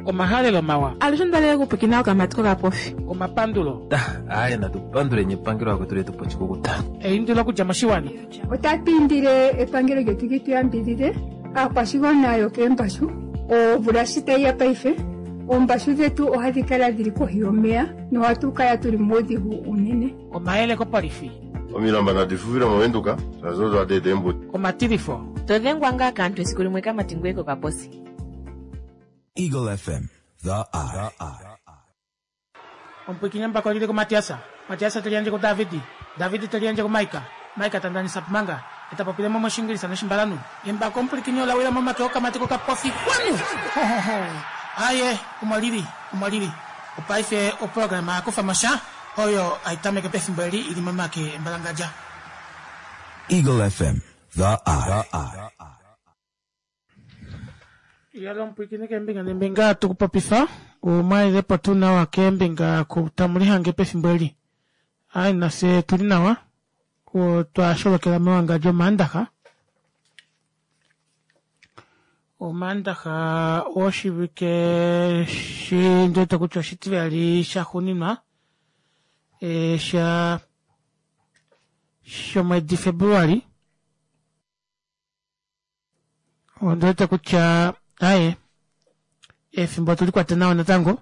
Omahalelo mawa. Alushe onda lela okupwiikina okamati kokapofi. Omapandulo. Aaye natu panduleni epangelo akwetu letu po oshikukuta. Eindilo okudja moshiwana. Otatu indile epangelo lyetu li tu yambidhidhe aakwashigwana yokeembashu. Omvula shi tayi ya paife, oombashu dhetu ohadhi kala dhili kohi yomeya nohatu kala tuli muudhigu uunene. Omayele kopolifi. Omilamba nadi fufile mOvenduka, shaashi odo hadi eta eembuto. Omatilifo. To dhengwa ngaa kaantu esiku limwe kamati ngoye kokaposi. Eagle FM, the eye. Omupwiikini embako lili kuMatias. Matias te liyandje kuDavid. David te liyandje kuMaika. Maika ta ndanisa manga, e ta popile mo mOshiingilisa nOshimbalanhu. Embako omupwilikini ola wila momake okamati kokapofi. Kwanu! Ho, ho, ho! Aye, omo lili, omo lili. Opaife oprograma ya kufa mo sha, oyo hai tameke pefimbo eli i li momake embalangadja. Eagle FM, the eye. Yalo omupwiikini keembinga neembinga tu ku popifa umwalelepo tuu nawa keembinga ku tamu lihange pefimbo eli. Ai nafye tuli nawa otwa sholokela mewangadjo Omaandaxa. Omaandaxa woshivike shi ndi wete kutya oshitivali shaxuuninwa e, sha shomwedi Februali. Ondi wete kutya aye efimbo otuli kwate nawa natango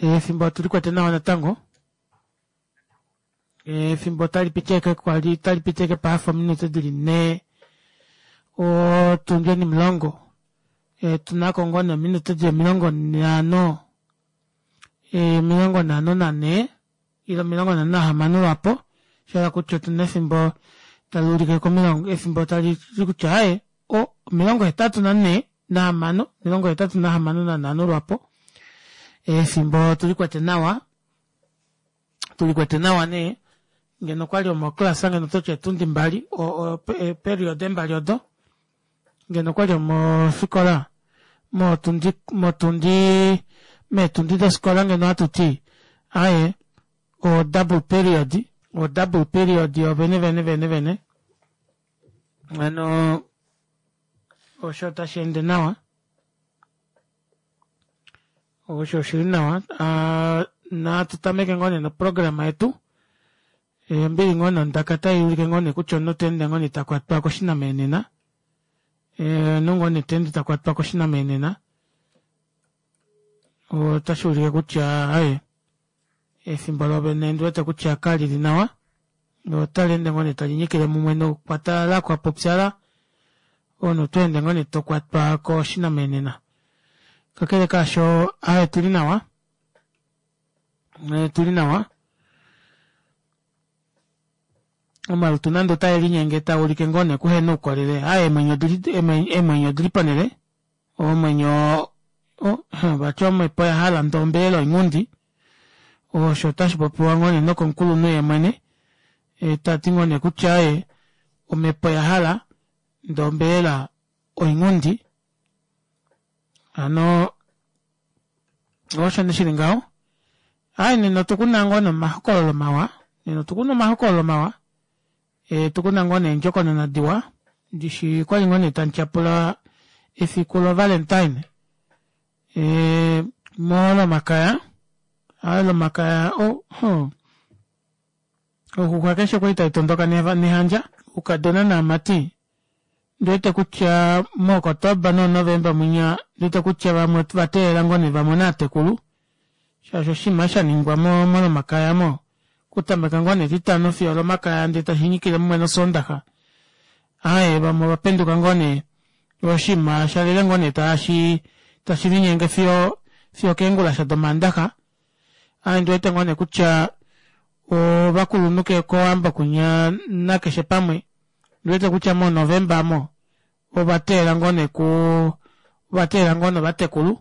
efimbo otuli kwate nawa natango efimbo otali piti eke kwali tali piti eke pahafa ominute dili nhee otundi onimulongo e, tunako ngoo nee ominute dili 54 e, 54 ile 56 lwapo, sha hala kutya otu na efimbo tali ulike komilongo, efimbo tali ti kutya aye, o, 84 nahamano, 85 lwapo. Efimbo otu li kwete nawa, tu li kwete nawa nee, ngeno okwali omoklasa ngeno oto ti etundi mbali, o, o, eeperiode mbali odo, ngeno okwali omofikola, motundi, motundi, meetundi dofikola ngeno ohatu ti, aye, o double period, o double period yo vene vene vene vene. Hano osho otashi ende nawa. Osho oshili nawa. Uh, natu tameke ngoo nee noprograma yetu. Ombili ngoo nondaka tai ulike ngoo nee kutya omunhu ta ende ngoo nee ta kwatwa koshinamenena. Omunhu ngoo nee ta ende ta kwatwa koshinamenena. Otashi ulike kutya aye efimbo lovene ndi wete kutya kali li nawa. Otali ende ngoo nee tali nyikile mumwe nokwatalala kwa popyala. Omunhu oto ende ngoo nee to kwatwa koshinamenena. Kakele kaasho aye tuli nawa. Eh, tu li nawa omalutu nande otae linyenge taa ulike ngoo nee kuhena oukolele a eemwenyo odili eemwenyo odili ponele omwenyo oh, vati omhepo ya hala ndee ombelela oinghundi osho otashi popiwa ngoo nee nokomukulunhu ye mwene e, ta ti ngoo nee kutya ye omhepo ya hala ndee ombelela oinghundi hano osho ne shili ngaho ai nena otukuna ngoo nomahokololo mawa nena otukuna omahokololo mawa e, tukuna ngoo neendjokonona diwa ndishi kwali ngoo nee tamu tyapula efiku lovalentine e, molomakaya ai lomakaya oh, oh. oxuxwa keshe kwali tai tondoka nehandja oukadona naamati Ndi wete kutya mooKotoba nooNovemba mwinya ndi wete kutya vamwe va teelela ngoo nee va mone aatekulu shaashi oshinima sha ningwa mo mOlomakaya mo okutameka ngoo nee Etitano fiyo Olomakaya ndee tashi nyikile mumwe nOsoondaxa. Aaye vamwe ova penduka ngoo nee oshinima sha lele ngoo nee tashi tashi linyenge fiyo fiyo okeengulasha dOmaandaxa. Aaye ndi wete ngoo nee kutya ovakulunhu ke kOwambo kwinya nakeshe pamwe Ndiwete kutya mo November mo ova teela ngoo nee ku ova teela ngoo novatekulu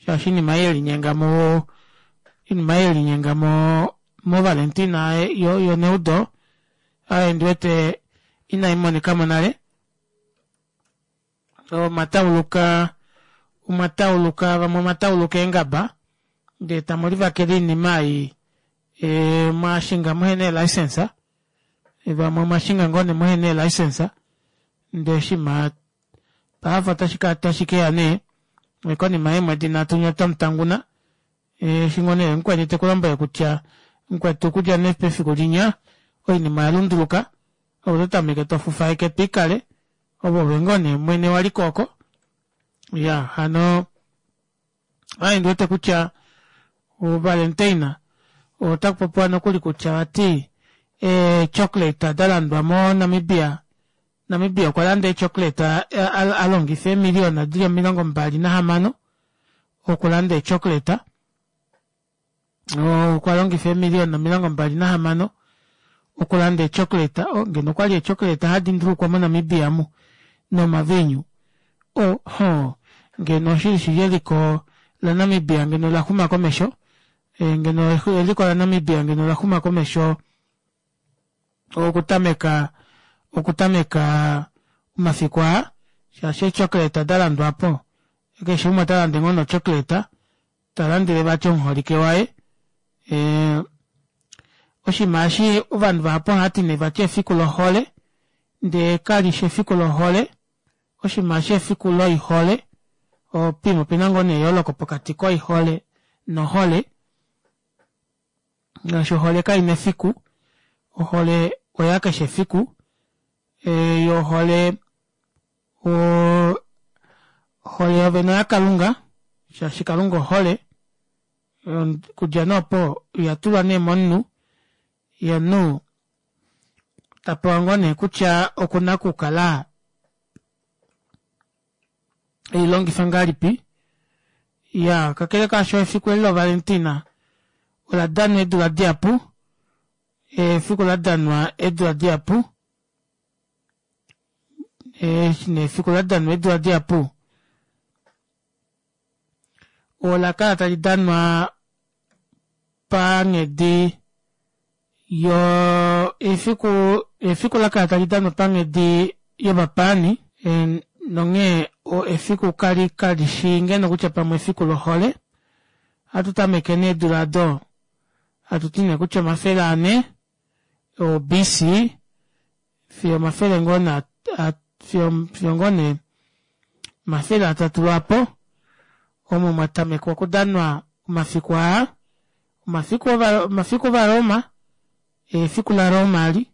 shaashi inima ei yelinyenga mo inima ei yelinyenga mo mo Valentina yo yo neudo aye ndiwete inai monika mo nale omwa tauluka omwa tauluka vamwe omwa tauluka eengaba ndee tamu livakele oinima ei e, mwashinga muhe nee-license vamwe omwashinga ngoo nee muhe nee-license ndee shima paafa otashi ka tashi keya nee Konima yeemwedi nhatu nye otamu tanguna. Eshi ngoo nee mukweni te ku lombwele kutya mukwetu okudja nee pefiku linya oinima oya lunduluka, ove oto tameke to fufaeke twiikale, ove ove ngoo nee mwene waliko oko. Iyaa hano aaye ndi wete kutya oValentine otaku popiwa nokuli kutya vati eechocolate da landwa moNamibia Namibia okwa landa eechocolate a longifa eemiliyona dili 26 okulanda eechocolate okwa longifa eemiliyona 26 okulanda eechocolate oh, ngeno okwali eechocolate hadi ndulukwa moNamibia mu nomaviinyu oho ngeno oshili shili eliko laNamibia ngeno la xuma komesho e, ngeno eliko laNamibia ngeno la xuma komesho okutameka okutameka omafiku aa shaashi eechocolate da landwa po keshe umwe ota lande ngoo nochocolate ta landele vati omuholike waye e, oshinima eshi ovanhu vahapu ohava ti nee vati efiku lohole ndee kali shi efiku lohole oshinima eshi efiku loihole opim opena ngoo nee eyooloko pokati koihole nohole ngaashi ohole kaina efiku ohole oya keshe efiku e, yo ohole ohole yovene oyaKalunga shaashi Kalunga ohole kudja nee opo oya tulwa nee momunhu ye omunhu ta pewa ngoo nee kutya okuna okukala ei longifa ngahelipi ya kakele kaasho efiku eli lovalentina ola danwa eedula dihapu efiku la danwa eedula dihapu eshi nee efiku la danwa eedula dihapu ola kala tali danwa panghedi yo efiku efiku la kala tali danwa panghedi yovapaani nonghee efiku kali kali shi ngeno kutya pamwe efiku lohole hatu tameke needula ado hatu ti nee kutya 400 o BC fiyo omafele ngoo na fiyo fiyo ngoo nee 300 lwaapo omo mwa tamekwa okudanwa omafiku aa omafiku omafiku ovaRoma efiku laRoma ali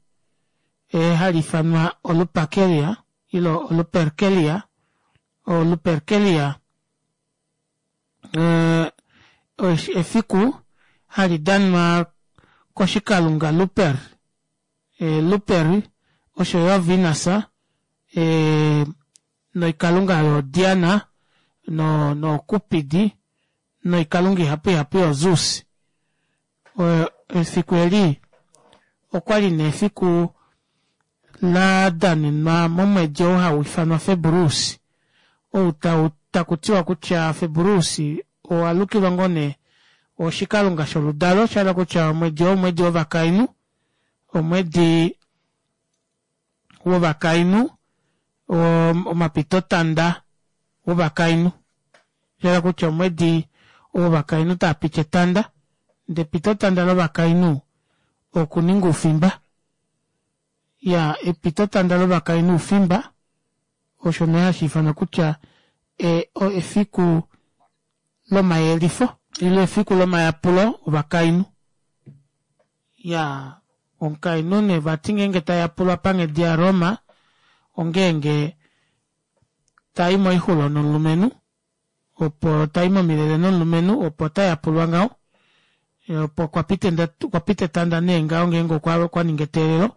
e, hali ifanwa olupakelia ilo oluperkelia oluperkelia Eh, efiku hali danwa koshikalunga Luper, eh, Luper osho yo Venus eh, noikalunga yo Diana no no Cupid noikalunga ihapu ihapu yo Zeus. Efiku eli okwali nee efiku la danenwa momwedi ou hau ifanwa Februsi, ou tau taku tiwa kutya Februsi owa lukilwa ngoo nee oshikalunga sholudalo, sha hala kutya omwedi oo omwedi wovakainhu, omwedi wovakainhu, omapitotanda wovakainhu. Sha hala kutya omwedi wovakainhu taa piti etanda, ndee epitotanda lovakainhu okuninga oufimba. Ya epitotanda lovakainhu oufimba, osho nee hashi ifanwa kutya e, o, efiku lomayelifo ile efiku lomayapulo ovakainhu. Ya omukainhu nee vati ngeenge ta yapulwa panghedi yaRoma ongeenge ta i moixulo nomulumenhu opo ta i momilele nomulumenhu opo ta yapulwa ngaho opo kwa pita okwa pita etanda nee ngaho ngeenge okwa ninga eteelelo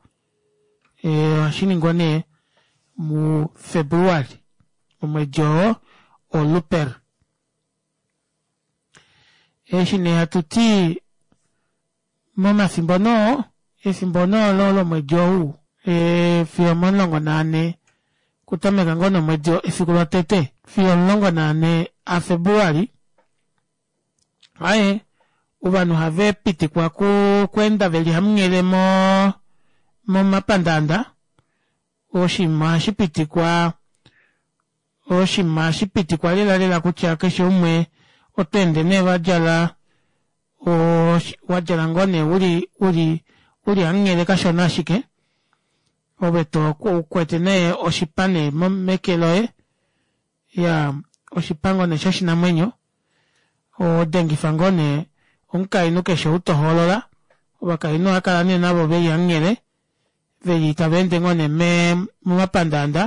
ohashi ningwa nee muFebruali omwedi oo oluper. Eshi nee hatu ti Momafimbo noo, efimbo noo lo lomwedi ou, e, fiyo omomulongo naane, okutameka ngoo nomwedi efiku lotete fiyo 14 aFebruali, aye, ovanhu ohave pitikwa ku, okweenda ve li hamunghele mo, momapandaanda, oshinima ohashi pitikwa, oshinima ohashi pitikwa lela lela kutya keshe umwe oto ende nee va djala wa djala ngoo nee uli uli uli hamunghele kashona ashike ove to ukwete nee oshipa nee meke loye ya. oshipa ngoo nee shoshinamwenyo odengifa ngoo nee omukainhu keshe ou tohoolola ovakainhu ohakala nee navo veli hamunghele veli tava ende ngoo nee momapandaanda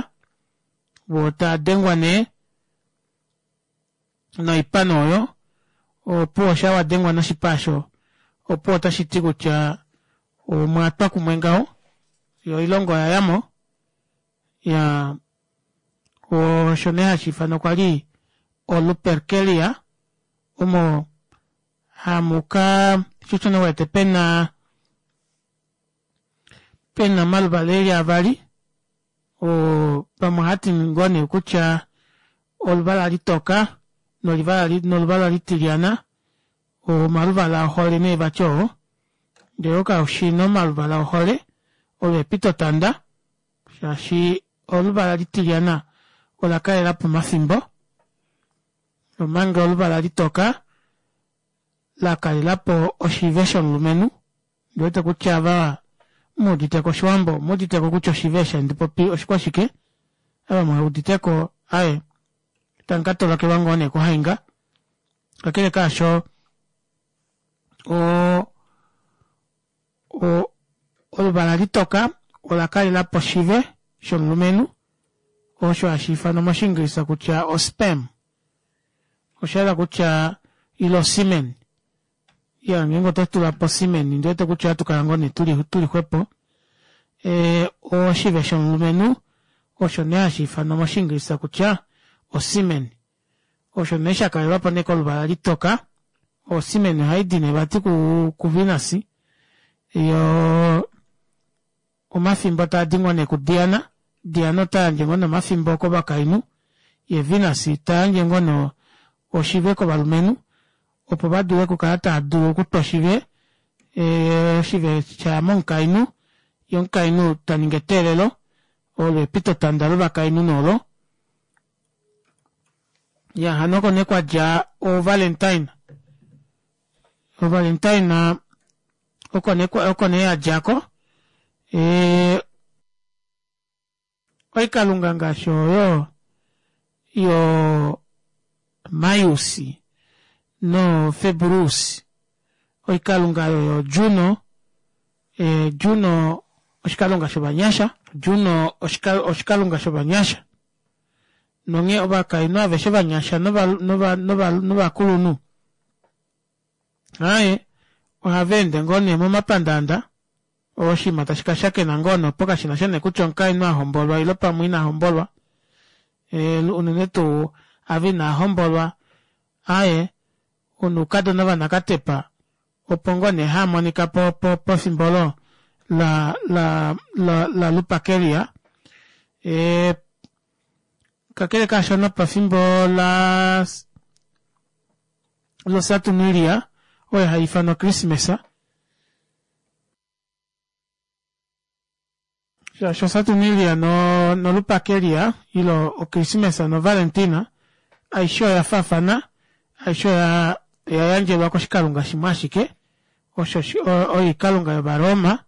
voo tadengwa nee noipano oyo opuwo sha wadengwa noshipa osho opuwo otashiti kutya omwatwa kumwe ngaho yo oilongo oyayamo ya osho nee hashiifanwa kwali oluperkelia omo hamuka shosho nee uwete pena pena omaluvala eli avali oo vamwe ohati ngoo nee kutya oluvala litoka noluvala litilyana omaluvala ohole nee vati oo ndee okaushina omaluvala ohole olo epitotanda shaashi oluvala litilyana ola kalelapo omafimbo omanga oluvala litoka lakalelapo oshive shomulumenhu ondiwete kutya ava muuditeko oshiwambo omuuditeko kutya oshive eshi handi popi oshikwashike ava muheuditeko aaye tamu katolokelwa ngoo nee kuhainga kakele kaasho o o oluvala litoka ola kalelapo oshive shomulumenhu osho hashi ifanwa moshiingilisa kutya ospam osha hala kutya ile osimen ya ngeenge oto tula po osimen ndi wete kutya ohatu kala ngoo nee tuli tuli xwepo e, oshive shomulumenhu osho nee hashi ifanwa moshiingilisa kutya osimen osho nee sha kalelwapo nee koluvala litoka osimen ohaidi nee vati ku, ku Venus yo omafimbo taadi ngoo nee kuDiana Diana ota yandje ngoo nee omafimbo kovakainhu ye Venus ta yandje ngoo nee oshive kovalumenhu opo va dule okukala tava dulu okutwa oshive oshive shaya momukainhu ye omukainhu ta ningi eteelelo olo epitotanda lovakainhu noolo ya hano oko nee kwadja ovalentine ovalentine oko nee oko nee yadjako e, oikalunga ngaashi oyo yo Maius no Februus oikalunga oyo yo Juno e, Juno oshikalunga shovanyasha Juno oshikalunga shovanyasha nonghee ovakainhu aveshe vanyasha novakulunhu aye ohava ende ngoo nee momapandaanda oshinima tashi ka shakena ngoo nopo kashina sha nee kutya omukainhu a hombolwa ile pamwe ina hombolwa e, unene tuu ava inaa hombolwa aye onoukadona vanakatepa opo ngoo nee haa monika po, po, pefimbo olo la, la, la, la lupakelia e, kakele kaashono pefimbo la losaturnalia oyo hai ifanwa Christmas shaashi osaturnalia no, nolupakelia ile okrismesa novalentina aishe oya faafana aishe oya oya yandjelwa koshikalunga shimwe ashike osho oikalunga yovaroma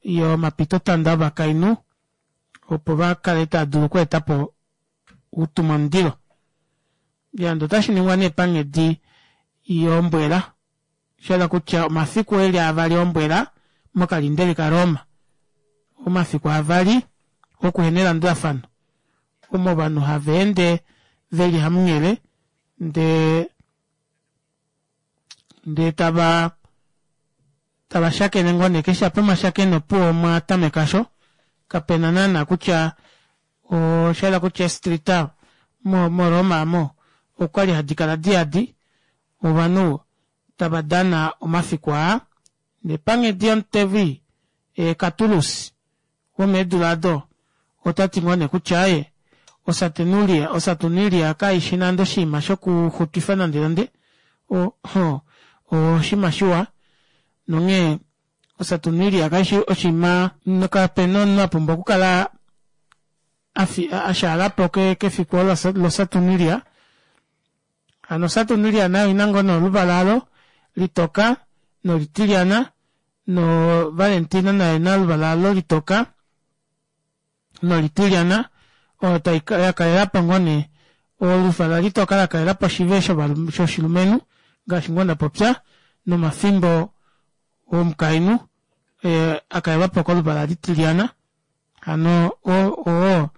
yomapitotanda ovakainhu opo va kale tava dulu okweeta po outumwamundilo yande otashi ningwa nee panghedi yombwela Sha kutya omafiku eli avali ombwela mokalindeli kaRoma, omafiku avali okuhena elandulafano, omo ovanhu hava ende ve li hamunghele ndee ndee tava tava shakene ngoo nee keshe apa omashakeno opuwo omwa tameka sho kapena naana kutya osha yela kutya eestrita mo moRoma mo okwali hadi kala diyadi ovanhu tava dana omafiku aa. Ndee panghedi yomutevi Catulus womeedula odo ota ti ngoo nee kutya aaye Osaturnulia Osaturnulia kai shi nande oshinima shokuxutwifa nandenande, o, oshinima shiwa nonghee Osaturnulia kai shi oshinima kape na omunhu a pumbwa okukala a shaala po kefiku olo loSaturnulia. Hano Saturnalia nayo oina ngoo nee oluvala alo litoka nolitilyana no Valentina nayo oina oluvala alo litoka nolitilyana oyo tai ya kalelapo ngoo nee. Oluvala litoka la kalela po oshive shoshilumenhu ngaashi ngoo nda popya nomafimbo omukainhu a kalelwa po koluvala litilyana. Hano oo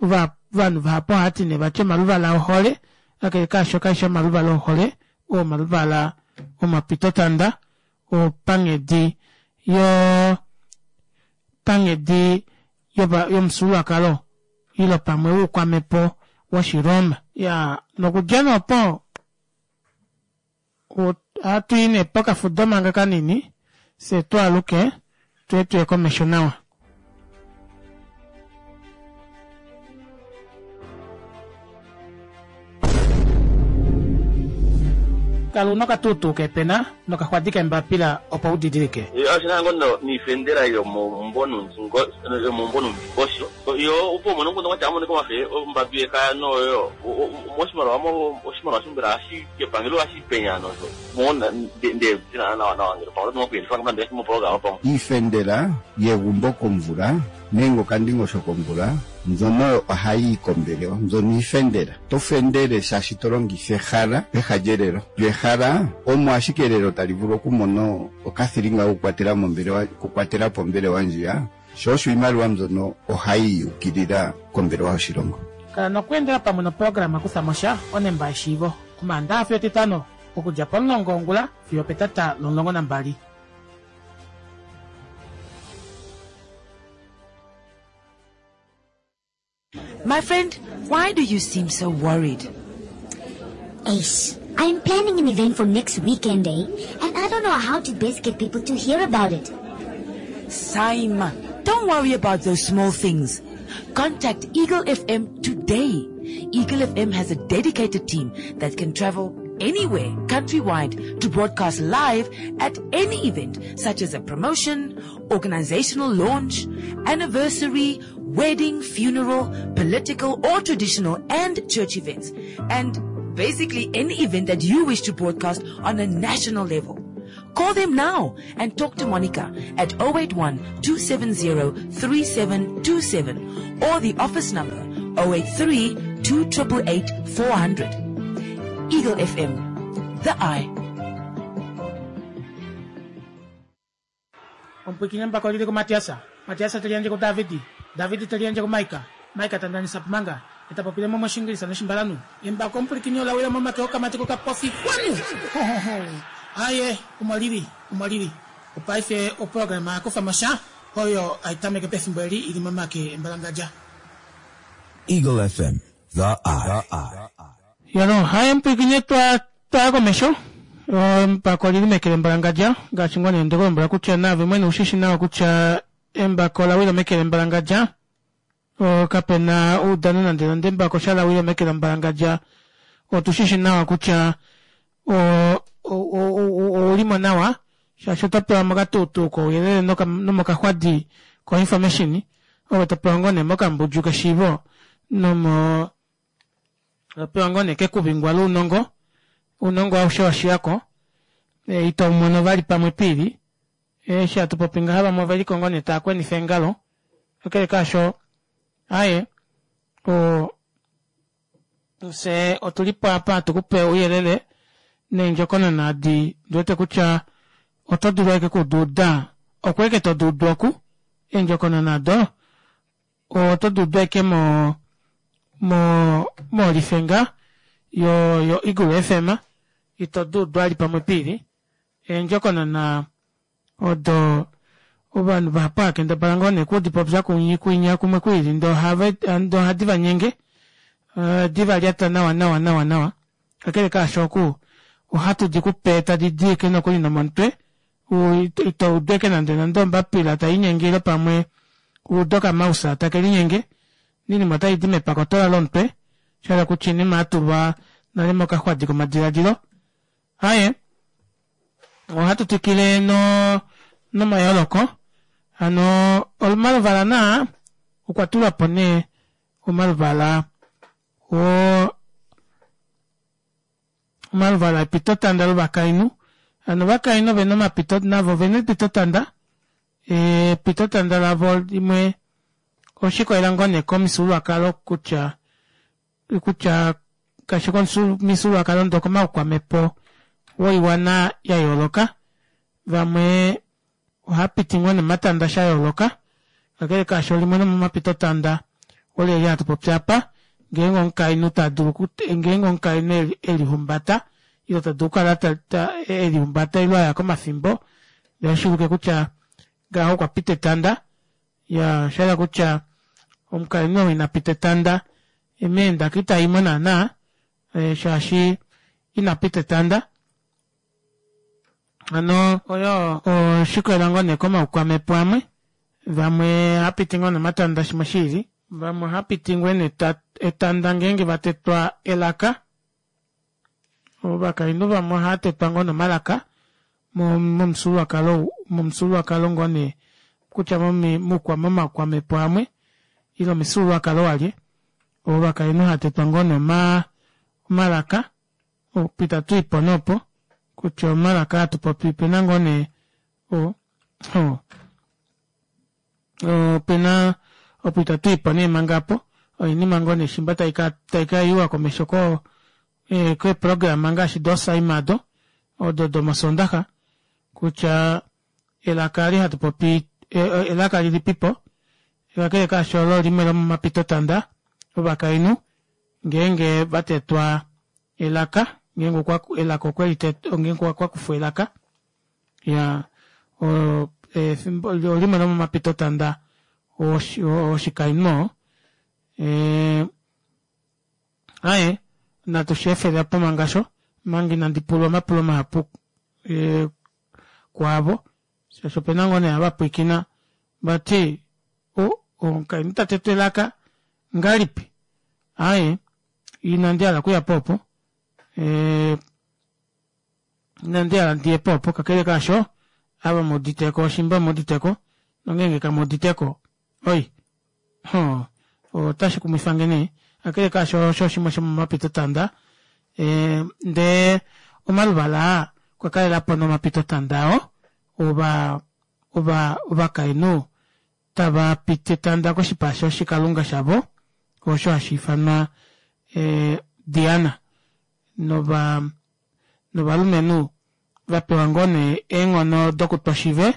ovanhu vahapu ohava ti nee vati omaluvala ohole, kakele kaasho kae shi omaluvala ohole, oo omaluvala omapitotanda opanghedi yo panghedi yomufyuululwakalo ile pamwe woukwamhepo wOshiroma. Ya nokudja nee opo ohatu i nee pokafudo manga kanini fye twaaluke tuye tuye komesho nawa. Kala una okatuutuu keepena nokaxwadi keembapila opo u didilike. Oshi na ngo niifendela yomomumvo nuundingosho yo opo umone omukundu ngwatya amonike omafe ombambi yekaya noyo moshimaliwa mo oshimaliwa shombela hashi kepangelo hashi penya nosho mo nde dina nawa nawa ngele pamwe oto kuyelifa ngamba moprograma pamwe. Iifendela yegumbo komvula nenge okandingosho komvula mbyono ohayi yi kombelewa mbyono iifendela. Oto fendele shaashi to longitha ehala peha lyelelo. Lyo ehala omo ashike elelo tali vulu okumona okathilinga kokukwatela mombelewa okukwatela po ombelewa ndjiya, sho osho iimaliwa mbyono ohayi yukilila kombelewa yoshilongo. Kala nokweendela pamwe noprograma Kutha mo sha, Onemba yeshiivo, Omaandaxa fiyo Etitano, okudja pomulongo wongula fiyo opetata lomulongo nambali. My friend, why do you seem so worried? Ace, I'm planning an event for next weekend, eh? And I don't know how to best get people to hear about it. Saima, don't worry about those small things. Contact Eagle FM today. Eagle FM has a dedicated team that can travel anywhere countrywide to broadcast live at any event such as a promotion, organizational launch, anniversary, wedding, funeral, political or traditional and church events. And basically any event that you wish to broadcast on a national level. Call them now and talk to Monica at 081 270 3727 or the office number 083 288 400. Eagle FM, the eye. Omupwiikini embako oli li kuMatias, Matias te liyandje kuDavid, David te liyandje kuMaika, Maika ta ndanisa Pumanga, e ta popile mo mOshiingilisa nOshimbalanhu. Embako omupwilikini ola wila momake okamati kokapofi. Kwanu! Ho-ho-ho! Aye, omo li li, omo li li. Opaife oprograma ya kufa mo sha, oyo hai tameke pefimbo eli i li momake embalangadja. Eagle FM, the eye. Yalo, haye omupwilikini twa twaya komesho. Embako oli li meke lembalangadja, ngaashi ngoo nee nde ku lombwela kutya naave mwene oushi shi nawa kutya embako ola wila meke lembalangadja. Kape na oudano nande nande embako sha la wila meke lembalangadja. Otu shi shi nawa kutya ouli mo nawa shaashi oto pewa mokatuutuu kouyelele nomokaxwadi koinformation ove to pewa ngoo nee mokambudju keshiivo nomo to pewa ngoo nee kekuvingwa lounongo ounongo aushe wa shiyako e, ito mono vali pamwe piili eshi hatu popi ngaha vamwe ove liko ngoo nee tava kwenifa eengalo kakele kaasho aye o Fye otu li po apa hatu ku pe ouyelele neendjokonona adi ndi wete kutya oto dulu ashike oku di uda oku ashike to di udu oku. Eendjokonona odo oto di udu ashike mo mo molifenga yo yo Eagle FM ito di udu vali pamwe piili. Eendjokonona odo ovanhu vahapu hava kendabala ngoo nee okudipopya kwinya kumwe kwiili ndee ohave ndee ohadi va nyenge ohadi va lyata nawa nawa nawa nawa kakele kaasho oku ohatu di ku pe tadi di eke nokuli nomomutwe ito udu eke nande nande ombapila tai linyenge ile pamwe ude okamausa take linyenge oinima otai di mepakotola lomutwe sha hala kutya oinima ya tulwa nale mokaxwadi komadiladilo Aye, ohatu twikile no nomayooloko. Hano omaluvala naa okwa tulwa po nee omaluvala o omaluvala epitotanda lovakainhu. Hano ovakainhu ovena omapito navo ovena epitotanda. Epitotanda lavo limwe oshikolela ngoo nee komufyuululwakalo kutya kutya. Kashi komifyuululwakalo ndee okomaukwamhepo woiwana ya yooloka. Vamwe ohapiti ngoo nomatanda sha yooloka kakele kaasho limwe lomomapitotanda oleli hatu popi apa ngeenge omukainhu tadulu ngeenge omukainhu elihumbata ile tadulu okukala elihumbata ile aya komafimbo ndee oshuulike kutya ngaho okwa pita etanda iyaa oshahala kutya omukainhu ou ina pita etanda meendaka itaimo naana shaashi ina pita etanda hano oyo oshikolela ngoo nee komaukwamhepo amwe vamwe ohapiti ngoo nomatanda shimwe shiili vamwe ohapiti ngoo nee etanda ngeenge vatetwa elaka ovakainhu vamwe ohaatetwa ngoo nomalaka momufyuululwakalo momufyuululwakalo ngoo nee kutya momaukwamhepo amwe ile omifyuululwakalo walye ovakainhu haatetwa ngoo nee omalaka Pita tuipo nee opo kutya omalaka aa hatupopi opena ngoo nee opena opo itatuipo nee manga aapo oinima ngoo nee shimba taika yiwa komesho koo keeprograma ngaashi dosaima odo odo domosondaxa kutya elaka eli hatu popi elaka lilipipo kakele kaasho olo limwe lomomapitotanda ovakainhu ngeenge vatetwa elaka ngeenge okwa elaka okweli ngeenge okwa kufwa elaka iyaa efimbo olimwe lomomapitotanda oshikainhu oo aaye natu sheefele opo manga osho omanga inandi pulwa omapulo mahapu kwaavo shaashi opena ngoo nee ava pwiikina vati omukainhu ta tetwa elaka ngahelipi aaye inandi hala okuya po opo inandi hala ndiye po opo kakele kaasho ava muuditeko oshimba muuditeko nongeenge kamuuditeko oi hoo otashi kumwifange nee kakele kaasho osho shimwe shomomapitotanda ndee omaluvala aa okwa kalelapo nomapitotanda oo ova ova ovakainhu tava piti etanda koshipa shoshikalunga shavo osho hashi ifanwa Diana nova novalumenhu va pewa ngoo nee eenghono dokutwa oshive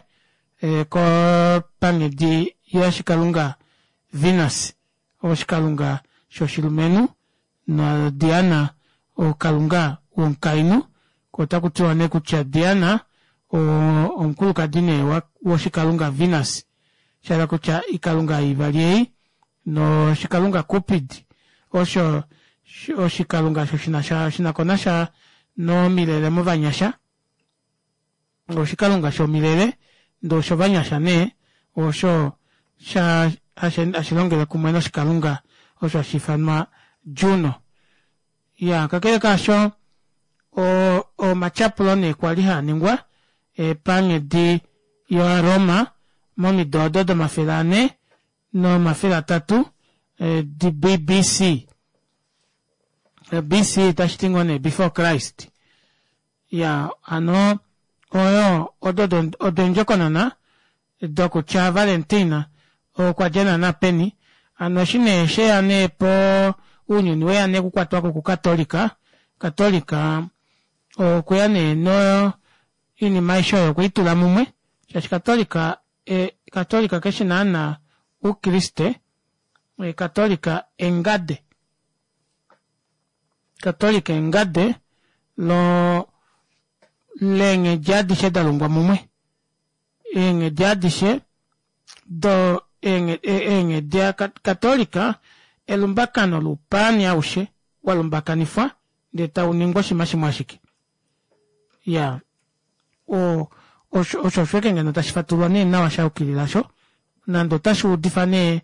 panghedi yoshikalunga Venus oshikalunga shoshilumenhu na Diana okalunga womukainhu ko otaku tiwa nee kutya Diana omukulukadi nee woshikalunga Venus shahala kutya ikalunga ivali ei noshikalunga Cupid osho oshikalunga osho shinasha shinakonasha nomilele movanyasha oshikalunga shomilele ndee oshovanyasha nee osho sha hashi longele kumwe noshikalunga osho hashi ifanwa Juno. Iyaa kakele kaasho omatyapulo nee kwali haa ningwa panghedi yovaRoma momido odo domafele anhe nomafele atatu BC. BC tashi ti ngoo nee before Christ. Iyaa hano oyo odo odo eendjokonona dokutya Valentina okwa dja naana peni. Hano eshi nee sheya nee po ounyuni weya nee okukwatwako kukatolika, katolika okweya nee no inima aishe oyo okweitula mumwe shaashi katolika katolika keshi naana oukriste katolika engade katolika engade lo leenghedi adishe dalungwa mumwe eenghedi adishe do eenghedi katolika elumbakano loupaani aushe walumbakanifwa ndee tauningwa oshinima shimwe ashike Iyaa osho osho ashike ngeno tashi fatululwa nee nawa sha yukilila osho nande otashi udifa nee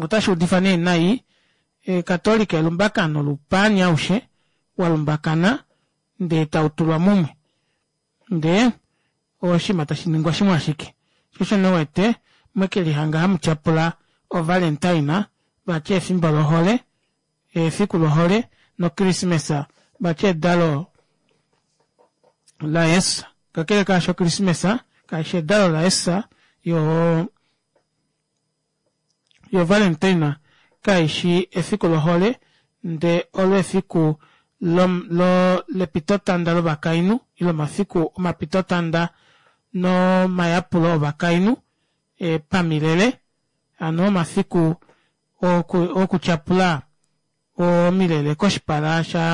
otashi udifa nee nai Katolika elumbakano loupaani aushe wa lumbakana ndee tau tulwa mumwe ndee oshinima tashi ningwa shimwe ashike. Sho osho nee uwete mwekelihanga hamu tyapula o Valentine vati efimbo lohole efiku lohole nokrismesa vati edalo laJesus. Kakele kaasho okrismesa kaishi edalo laJesus yo yo Valentine. kaishi efiku lohole ndee olo efiku lo, lo, lepitotanda lovakainhu ile omafiku omapitotanda nomayapulo ovakainhu e, pamilele hano omafiku oku, okutyapula omilele koshipala sha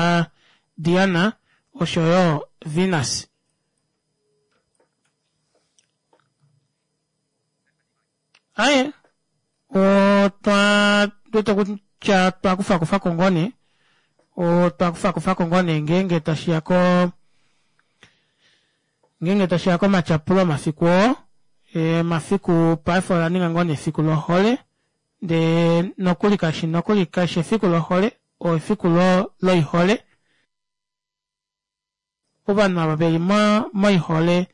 Diana oshoyo Venus. Aye, otwa wete kutya twa kufa kufa ko ngoo nee, otwa kufa kufa ko ngoo nee ngeenge tashi ya ko ngeenge tashi ya komatyapulo omafiku oo emafiku paife ola ninga ngoo nee efiku lohole ndee nokuli kashi nokuli kashi efiku lohole o efiku lo loihole Ovanhu ava veli moihole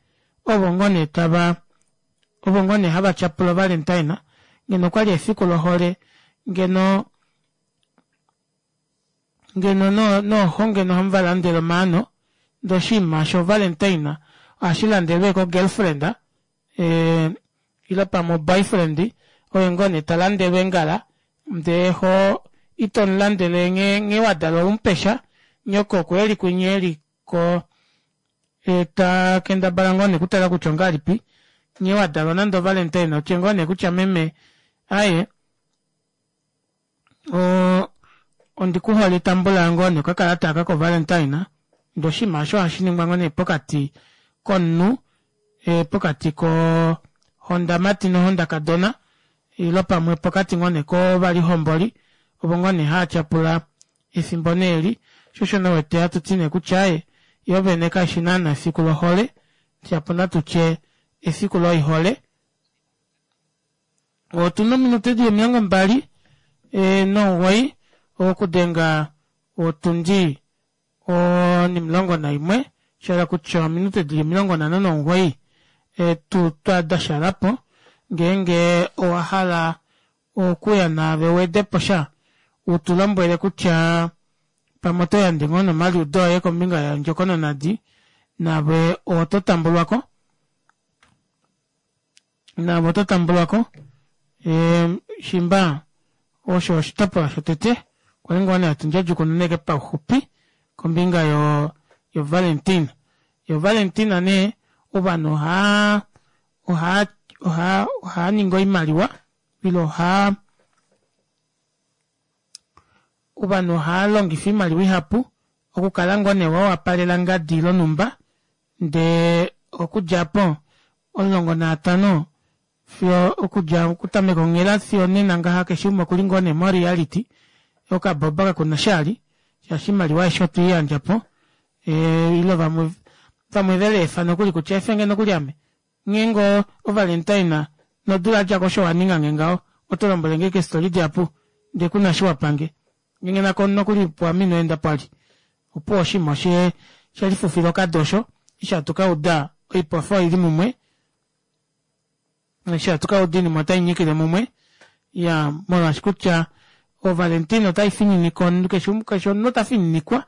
ovo ngoo nee tava ovo ngoo nee hava tyapula ovalentine ngeno okwali efiku lohole ngeno ngeno nooxo ngeno ohamu va landele omaano ndee oshinima sho valentine ohashi landelwa ko girlfriend eh, ile pamwe oboyfriend oye ngoo nee ta landelwa eengala ndee ho ito mu landele nghee nghee wa dalwa umupesha nyoko oku eli kwinya eli ko e, ta kendabala ngoo nee kutala kutya ongalipi nghee wa dalwa nande ovalentine otye ngoo nee kutya meme aye o ondi ku hole tambula ngoo nee okakalata aka kovalentine ndee oshinima osho ohashi ningwa ngoo nee pokati komunhu e, pokati kohondamati nohondakadona ilo pamwe pokati ngoo nee kovalihomboli ovo ngoo nee haa tyapula efimbo nee eli sho osho nee wete hatu ti nee kutya aaye yoo vene kaishi naana efiku lohole shapo natu tye efiku loihole Otuna ominute dili 29 okudenga otundi 11 shahala kutya ominute dili 59 tu twa dashalapo ngeenge owa hala okuya naave uwedepo sha utu lombwele kutya pamwe oto yandje ngoo nomaliudo oye kombinga yondjokononadi naave oto tambulwako. Naave oto tambulwa ko. Shimba osho oshitopolwa shotete kwali ngoo nee hatu ndjadjukununeke pauxupi kombinga yo yo Valentine. Yo Valentine nee ovanhu ohaa ohaa ohaa ohaa ningi oimaliwa ile ohaa ovanhu ohaa longifa oimaliwa ihapu okukala ngoo nee wa wapalela ngadi lonhumba Ndee okudja apo, 15 fiyo okudja okutameka onghela fiyo onena ngaha keshe umwe okuli ngoo nee moreality, okaboba kakuna shali, shaashi oimaliwa aishe otwei yandja po, ile vamwe vamwe veleefa nokuli kutya efenge nokuli ame, nghee ngoo ovalentine nodula yadjako osho waningange ngaho, oto lombwelenge ashike eestori dihapu ndee kuna eshi wapange. Ngenge nako nokuli puame ino enda pwali. Opuwo oshinima oshe she lifufila okado osho, eshi hatu ka uda oipofi oili mumwe, eshi hatu ka uda oinima otai nyikile mumwe, ya molwaashi kutya oValentine otai fininika omunhu keshe keshe omunhu ota fininikwa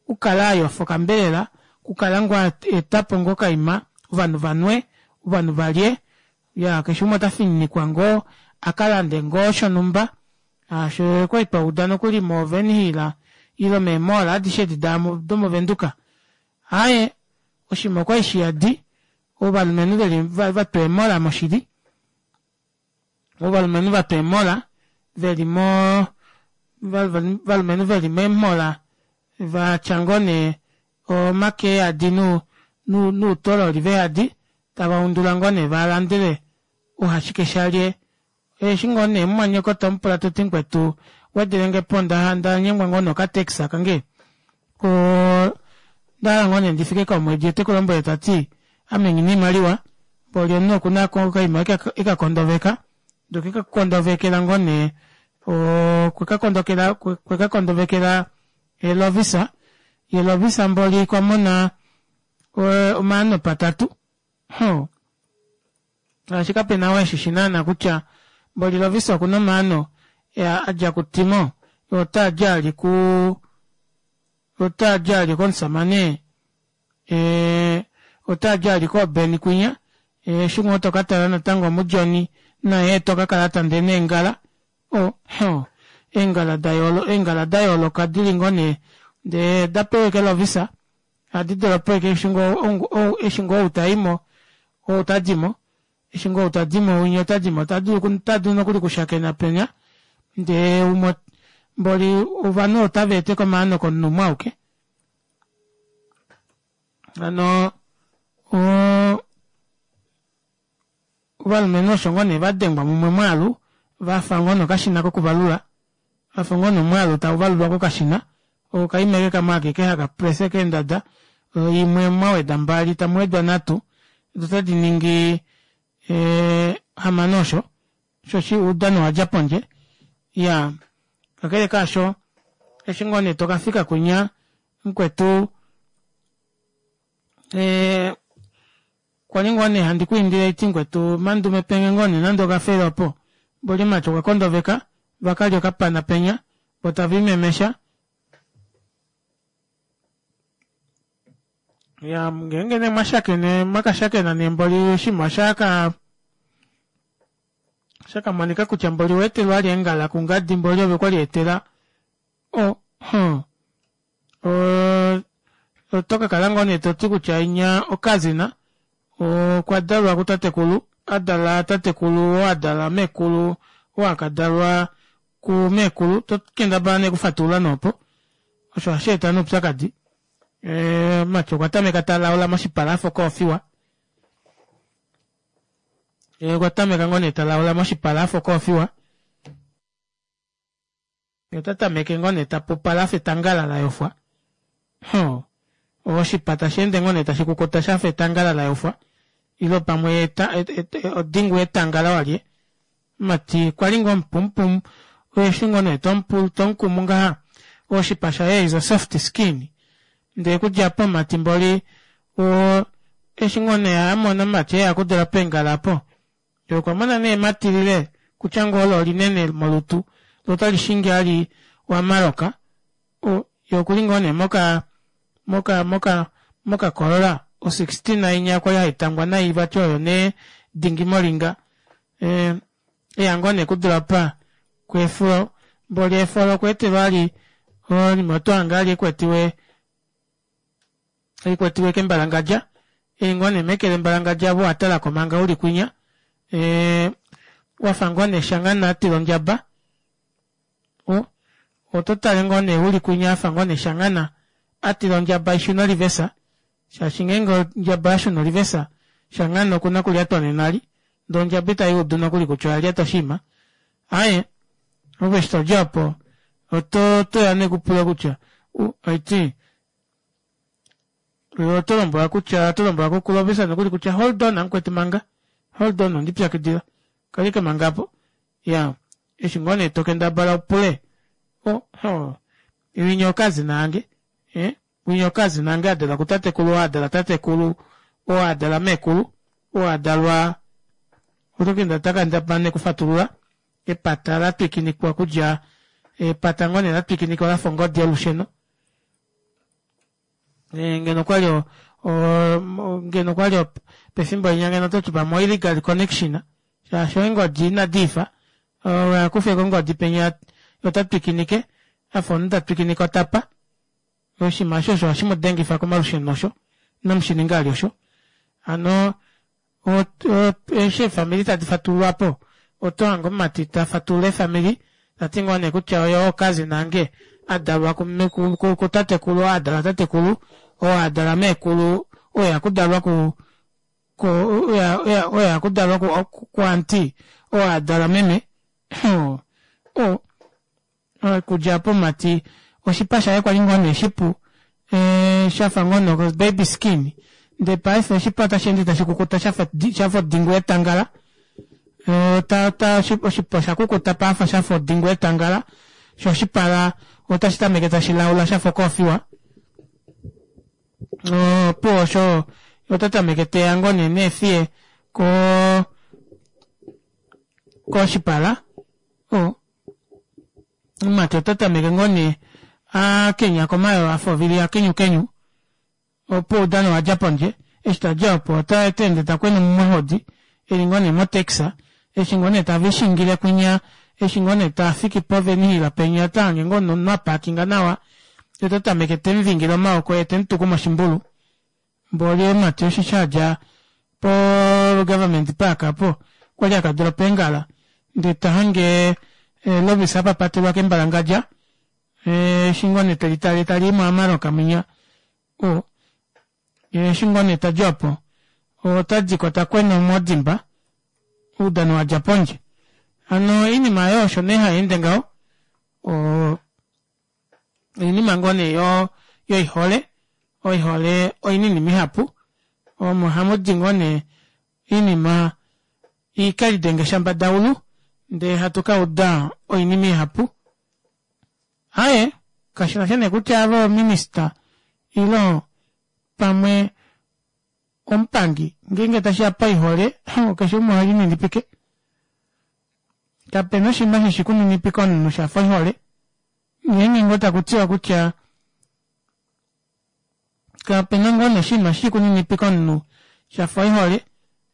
okukala a yofa okambelela, okukala ngoo a eta po ngoo okaima ovanhu va nwe, ovanhu va lye, ya keshe umwe ota fininikwa ngoo a ka lande ngoo shonhumba Osho okwali twa uda nokuli mo Wernhil ile mee mall adishe edi da domovenduka. Aaye, oshinima okwali shiyadi, ovalumenhu veli vatwa eemola moshili. Ovalumenhu vatwa eemola veli mo valumenhu veli meemhola vatya ngoo nee omake eyadi nuutololi veyadi tava undula ngoo nee va landele uhashike shalye Eshi ngoo nee mumwanyoko to mu pula to ti mukwetu wedelenge po nda nda nyengwa ngoo nokatex kange o nda hala ngoo nee ndi fike komwedi ote ku lombwele ta ti ame nghi na oimaliwa mboli omunhu oku na ko okaima eka kondoveka ndee okwe ka kondovekela ngoo nee okwe ka kondokela okwe ka kondovekela Lovisa ye Lovisa mboli kwa mona omaano patatu Hoo. Shaashi kape na oo eshi shi naana kutya mboli Lovisa oku na omaano a dja kuTimo, ye otaa dja ali ku otaa dja ali komusamane ee otaa dja ali kooBeni kwinya eshi ngoo to ka tala natango muJohny naye to ka kala ta ndene eengala. Oh, hoo. Eengala da yoolo eengala da yooloka dili ngoo nee ndee da pewa eke lovisa ohadi dolopo eke eshi ngoo eshi ngoo ou taimo ou tadimo eshi ngoo ou tadimo winya otadimo ota dulu nokuli okushakena penya ndee umwe mboli ovanhu otava eteko omaano komunhu umwe auke hano Ovalumenhu osho ngoo nee va dengwa mumwe omwaalu va fa ngoo nokashina kokuvalula, va fa ngoo nomwaalu tau valulwa kokashina, okaima eke kamwe akeke haka presse keendada, imwe mwa weda mbali tamu wedwa nhatu, do otadi ningi hamano osho, oshoshi oudano owa dja pondje. Iyaa, kakele kaasho, eshi ngoo nee toka fika kwinya mukwetu, Kwali ngoo nee handi ku indile iti mukwetu Mandume penge ngoo nee nande okafele opo. Mboli mati okwa kondoveka va ka lya okapana penya vo tava imemesha. Ya ngeenge nee mwa shakene mwa ka shakena nee mboli oshinima osha ka osha ka monika kutya mboli owa etelwa ali eengala kungadi mboli ove kwali etela o huh Oto ka kala ngoo nee to ti kutya inya okazina okwa dalwa kutatekulu, a dala tatekulu oo a dala meekulu oo a ka dalwa kumeekulu, to kendabala nee okufatulula nee opo. Osho ohashi eta nee oupyakadi. Mumati okwa tameka ta laula moshipala a fa okoofiwa. Okwa tameka ngoo nee ta laula moshipala a fa okoofiwa. Ye ota tameke ngoo nee ta pupala a fa etangala la yofwa. Hoo, oshipa tashi ende ngoo nee tashi kukuta sha fa etangala la yofwa, ile pamwe eta, et, et, odingu yetangala walye. Mati kwa li ngoo mupumupum, eshi ngoo nee tomu tomukumu ngaha, oshipa shaye is a soft skin. Ndee okudja apo mati mboli, o, eshi ngoo nee a mona mati eya okudula peengala apo, Ye okwa mona nee ematilile kutya ngoo olo olinene molutu lo otali shingi ali wa maloka. O, ye okuli ngoo nee moka, moka, moka, moka Corolla o 16 inya kwali hai tangwa nai vati oyo nee dingi molinga. E, eya ngoo nee kudula pa kweefulo mboli eefolo okwa etelwa ali oinima oto hange ali ekwetiwe Oikwetiwe kembalangadja, ei ngoo nee meke lembalangadja ove owa talako manga uli kwinya, ee, wafa ngoo nee shangana a tila ondjaba, o, oto tale ngoo nee uli kwinya afa ngoo nee shangana a tila ondjaba ishune olivesa, shaashi ngeenge ondjaba oya shuna olivesa, shangana okuna okulyatwa nenali, ndee ondjaba ita i udu nokuli kutya oya lyata oshinima. Aaye, ove eshi todja opo, oto, oto ya nee kupula kutya, u, oiti, Oto lombwelwa kutya oto lombwelwa kuKulovisa nokuli kutya hold on amukwetu manga hold on ondi pyakidila kaleke manga apo ya eshi ngoo nee to kendabala upule o ho winya okazina ange eh winya okazina ange adalwa kutatekulu oo adala tatekulu oo adala meekulu oo adalwa oto kenda takandabala nee kufatulula epata la twikinikwa kudja epata ngoo nee la twikinikwa lafa ongodi yolusheno Eh, ngeno kwali ngeno kwali pefimbo linya ngeno ototi pamwe oillegal connection shaashi eengodi inadi ifa akufe kongodi penya ota twikinike afa omunhu ta twikinike otapa oshinima osho osho hashi mu dengifa komalusheno osho inamu shi ninga ali osho hano eshi eefamili tadi fatululwa po oto hange omumati ta fatulula eefamili ta ti ngoo nee kutya oye oo cousin ange a dalwa kutatekulu oo a dala tatekulu oo a dala meekulu oo ya kudalwa ku oyo ya kudalwa ku auntie oo a dala meme o Okudja apo omumati oshipa shaye kwali ngoo nee shipu shafa ngoo nee baby skin ndee paife oshipa otashi ende tashi kukuta shafa shafa odingu yetangala ta ta oshipa osha kukuta paafa shafa odingu yetangala sho oshipala otashi tameke tashi laula shafa okoofiwa opuwo osho ota tameke teya ngoo nee neefiye ko koshipala o Omumati ota tameke ngoo nee a kenya komayoo a fa ovili ya kenyukenyu. Opo oudano owa dja pondje. Eshi ta dja opo ota ende ta kwena omuhodi e li ngoo nee motaxi. Eshi ngoo nee tave i shingile kwinya Eshi ngoo nee tafiki povenihila penya ota hange ngoo nomunhu apaakinga nawa yee ota tameke temuvingile omaoko yee temutuku moshimbulu mboli omumati osheshi adja po government park aapo okwali akadropa eengala ndee tahange Lovisa apapatelwa kembalangadja eshi ngoo nee telitale talii mo Amarok mwinya o eshi ngoo nee tadi opo otadiko takwena omodimba oudano wadja pondje hano oinima aayo osho nee hayeende ngaho oo oinima ngoo nee yo yoihole oihole oinima ihapu omo hamudi ngoo nee oinima ikelidenge shambadaulu ndee hatu kauda oinima ihapu aaye kashinasha nee kutya ave ominister ile pamwe omupangi ngeenge tashiya paihole keshe umwe ohelininipike kapena oshinima hashi kuninipike omunhu shafa oihole ngeenge ngoo takutiwa kutya kapena ngoo nee oshinima hashi kuninipike omunhu shafa oihole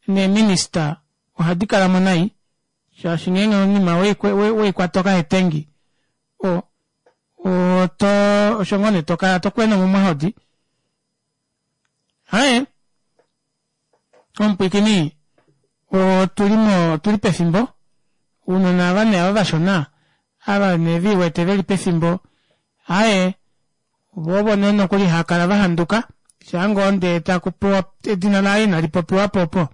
neeminister ohadi kalamo nai shaashi ngeenge oinima weikwata okahetengi o oto osho ngoo nee tokala tokwena omumwahodi Aye, omupwiikini otuli mo otuli pefimbo ounona ava nee ava vashona ava nee viiwete veli pefimbo aye voo ovo nee nokuli haakala vahanduka shaa ngoo ndee taku pewa edina laye inali popiwa po opo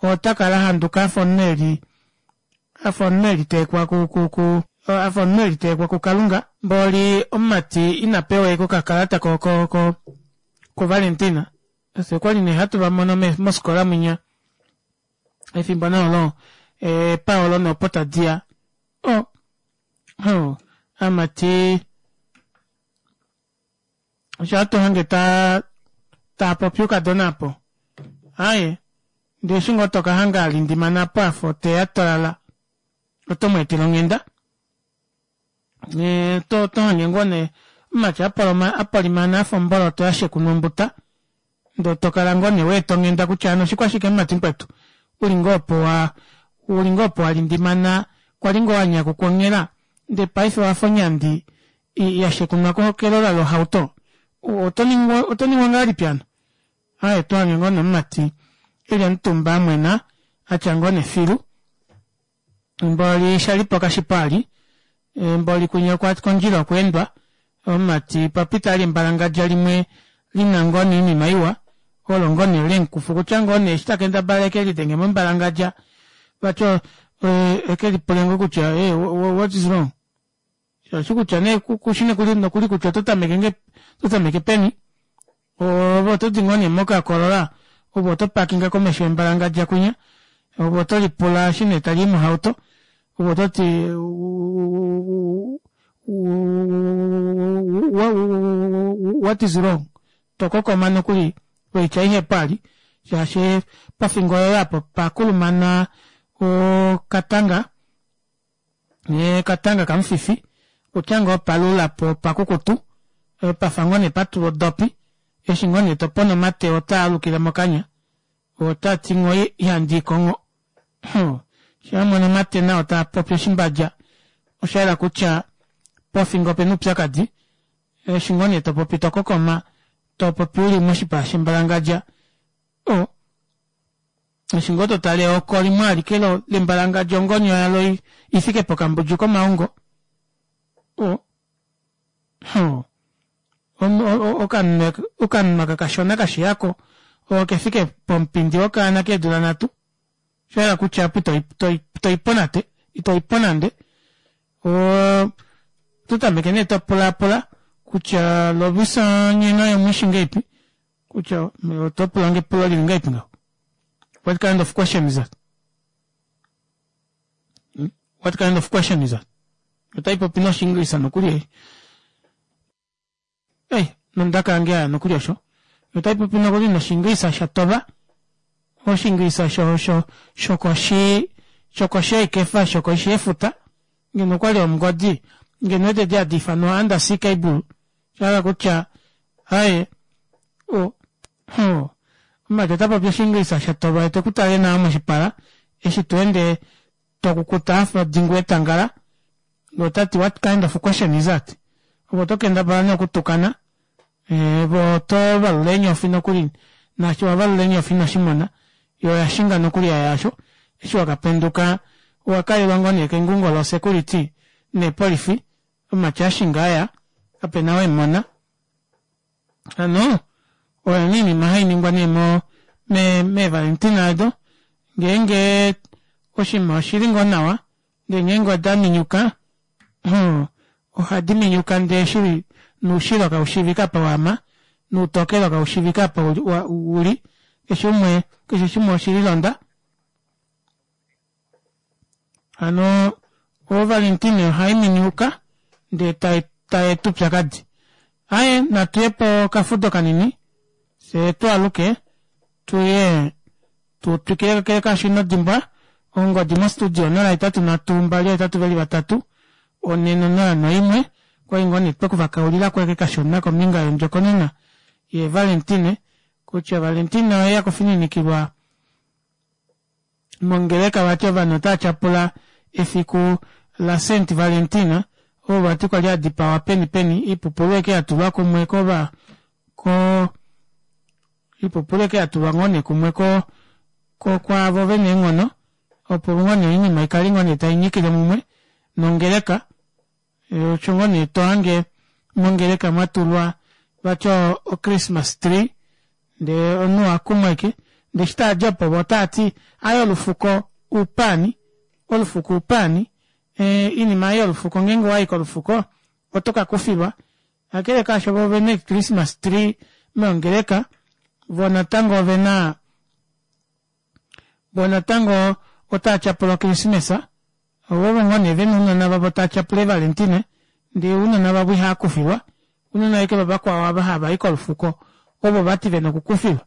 ota kala ahanduka afa omunhu eli afa omunhu eliteekwa ku ku ku afa omunhu eliteekwa kukalunga mboli omumati ina pewa ashike okakalata ko ko ko ko Valentina fye okwali nee hatu va mono mofikola mwinya efimbo nee olo eepaolo nee opo tadiya o oh amati osho hatu hange ta taapopi oukadona apo aaye ndee eshi ngoo tokahanga alindimana apo afa oteya tolala oto mweetele onghenda to to hange ngoo nee omumati apolimana afa omboloto yashekunwa ombuta ndee tokala ngoo nee weeta onghenda kutya hano oshikwashike mumati mukwetu uli ngoo opo wa uli ngoo opo walindimana kwali ngoo wanyakukwa onghela ndee paife owafa onyandi ya shekunwa kelola lohauto oto ningwa oto ningwa ngahelipi hano aaye oto hange ngoo nee omumati eli omutumba amwena atya ngoo nee filu mboli shalipo kashipo ali mboli kwinya okwa kondjila okweendwa omumati papita ali embalangadja limwe lina ngoo nee oinima iwa olo ngoo nee lemukufa okutya ngoo nee eshi takendabala eke lidenge mombalangadja vati eke lipule ngoo kutya what is wrong Shaashi kutya nee kushi nokuli nokuli kutya oto tameke nge oto tameke peni. Ove oto di ngoo nee mokakoolola ove oto pakinga komesho yembalangadja kwinya ove oto lipula eshi nee tali i mohauto ove oto ti what is wrong tokokoma nokuli oitya ihepu ali shaashi pofingo yoye apo pakulumana okatanga Katanga kamufifi kutya ngoo palula po opakukutu pafa ngoo nee patulwa odopi eshi ngoo nee topona omate otaa alukile mokanya ota ti ngoo ihandi ikongho sho amona omate nao taa popi oshimbadja osha yela kutya pofingo opena oupyakadi eshi ngoo nee topopi tokokoma topopi uli moshipa shembalangadja o Eshi ngoo to tale eoko limwe alike lembalangadja ongonyo yalo i fike pokambudju komaongo. O, o, okanhu aka kashona kashiyako oke fike pomupindi wokaana keedula nhatu. Osha yela kutya apo ito i po nate, ito i po nande. Oto tameke nee to pulaapula kutya Lovisa nye naye omwishi ngahelipi? Kutya oto pulange epulo lili ngahelipi ngaho? What kind of question is that? Hmm? What kind of question is that? Otai popi noshiingilisa nokuli ei. Ei, nondaka yange yaya nokuli osho. Otai popi nokuli noshiingilisa sha tova. Oshiingilisa sho sho shokoshi shokoshi yeikefa shokoshi yefuta. Ngeno okwali omungodi, ngeno ede hadi ifanwa undersea cable. Sha hala kutya aye o o omumati ota popi oshiingilisa sha tova ye teku tale nawa moshipala eshi to ende. Tokukuta afa odingu yetangala ndee otati what kind of question is that? Ove oto kendabala nee okutukana ove oto valula eenyofi nokuli naashi wa valula eenyofi inoshi mona yo oya shinga nokuli yaya asho eshi wakapenduka owa kalelwa ngoo nee kengungo lo security neepolifi omati ashinga aya kapena ou emona. Hano oyo nee oinima hainingwa nee mo me meevalentina odo ngeenge oshinima oshili ngoo nawa ndee ngeenge oda minyuka hoo ohadi minyuka ndee shili noushilo kaushiivike apa waama noutokelo kaushiivike apa uli keshe umwe keshe shimwe oshililonda Hano oValentine ohai miniuka ndee tai tai eta oupyakadi. Aye natu ye pokafudo kanini fyee twaaluke tuye tu twikile kakele kaasho ino dimbwa ongodi mostudio 083 283 401 okwali ngoo nee twekuvakaulila kweke kashona kombinga yondjokonona yeValentine kutya Valentine oye akufininikilwa Mongeleka vati ovanhu otava tyapula efiku laSaint Valentina oo vati kwali a dipawa peni peni iipupulu eke ya tulwa kumwe kova ko iipupulu eke ya tulwa ngoo nee kumwe ko ko kwaavo vena eenghono opo ngoo nee oinima ikale ngoo nee tai nyikile mumwe nongeleka Osho ngoo nee to hange mongeleka mwa tulwa vati o-Christmas tree ndee omunhu oha kumwa ashike ndee eshi taa di opo vo otaa ti aaye olufuko uupaani, olufuko uupaani, oinima ei yolufuko ngeenge owayi kolufuko oto ka kufilwa. Kakele kaasho vo ovena ee-Christmas tree meongeleka vo natango ovena vo natango otaa tyapula okrismesa Ovo ngoo nee vena ounona vavo taa tyapula eevalentine ndee ounona vavo ihaa kufilwa, ounona ashike vavakwao ava hava i kolufuko ovo vati vena okukufilwa.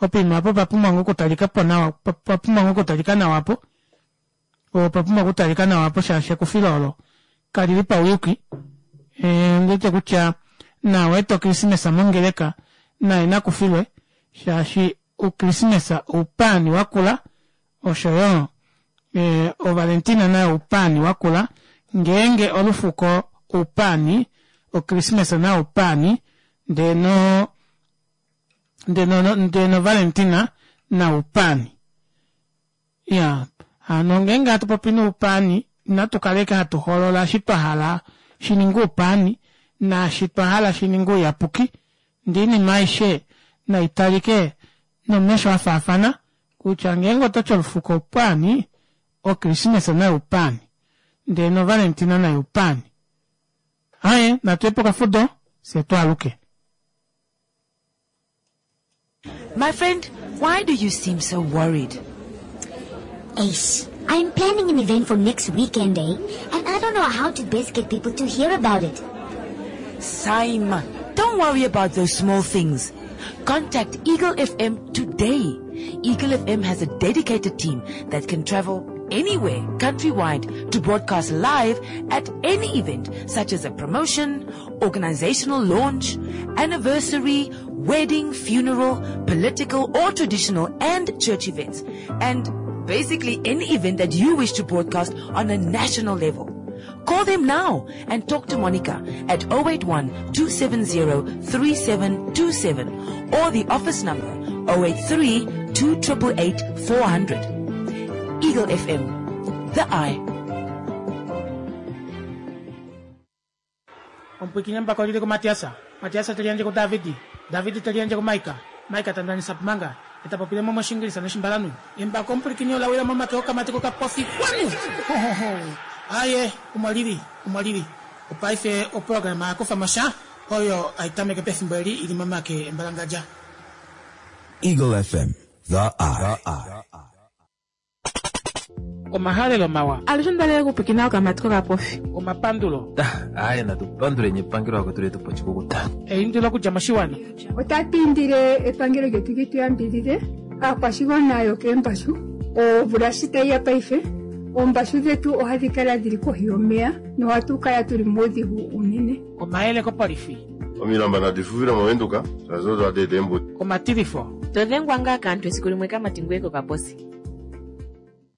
Opoima apo opa pumbwa ngoo okutalika po nawa, opa pumbwa ngoo okutalika nawa apo, opa pumbwa okutalika nawa apo shaashi ekufilo olo kalili pauyuki. Ondi wete kutya naau a eta okrismesa mongeleka naye nakufilwe shaashi Okrismesa oupaani wakula osho yo Ovalentina nayo oupaani wakula. Ngeenge olufuko oupaani, Okrismesa nayo oupaani, ndee no ndee no ndee nOvalentina nayo oupaani. Iyaa, hano ngeenge hatu popi noupaani, inatu kala ashike hatu hoolola eshi twa hala shi ninge oupaani naashi twa hala shi ninge ouyapuki, ndee oinima aishe nai talike nomesho a faafana kutya ngeenge oto ti olufuko oupaani, Okrismesa nayo oupaani, ndee nOvalentina nayo oupaani. Aaye, natu ye pokafudo, fye twaaluke. My friend, why do you seem so worried? Ace, I'm planning an event for next weekend, eh? And I don't know how to best get people to hear about it. Simon, don't worry about those small things. Contact Eagle FM today. Eagle FM has a dedicated team that can travel anywhere countrywide to broadcast live at any event such as a promotion, organizational launch, anniversary, wedding, funeral, political or traditional and church events. And basically any event that you wish to broadcast on a national level. Call them now and talk to Monica at 081 270 3727 or the office number 083 2888 400. Eagle FM, the eye. Omupwiikini embako oli li kuMatias, Matias te liyandje kuDavid, David te liyandje kuMaika, Maika ta ndanisa manga, e ta popile mo mOshiingilisa nOshimbalanhu. Embako omupwilikini ola wila momake okamati kokapofi. Kwanu! Ho, ho, ho! Aaye, omo li li, omo li li. Opaife oprograma ya kufa mo sha, oyo hai tameke pefimbo eli i li momake embalangadja. Eagle FM, the eye. Omahalelo mawa. Alushe onda lela okupwikina okamati kokapofi. Omapandulo. Aaye natu panduleni epangelo vakwetu letu pa oshikukuta. Eindilo okudja moshiwana. Otatu indile epangelo lyetu li tu yambidhidhe aakwashigwana yokeembashu. Omvula shi tayi ya paife, oombashu dhetu ohadhi kala dhili kohi yomeya nohatu kala tuli muudhigu uunene. Omayele kopolifi. Omilamba nadi fufile mOvenduka, shaashi odo hadi eta eembuto. Omatilifo. To dhengwa ngaa kaantu esiku limwe kamati ngweye kokaposi.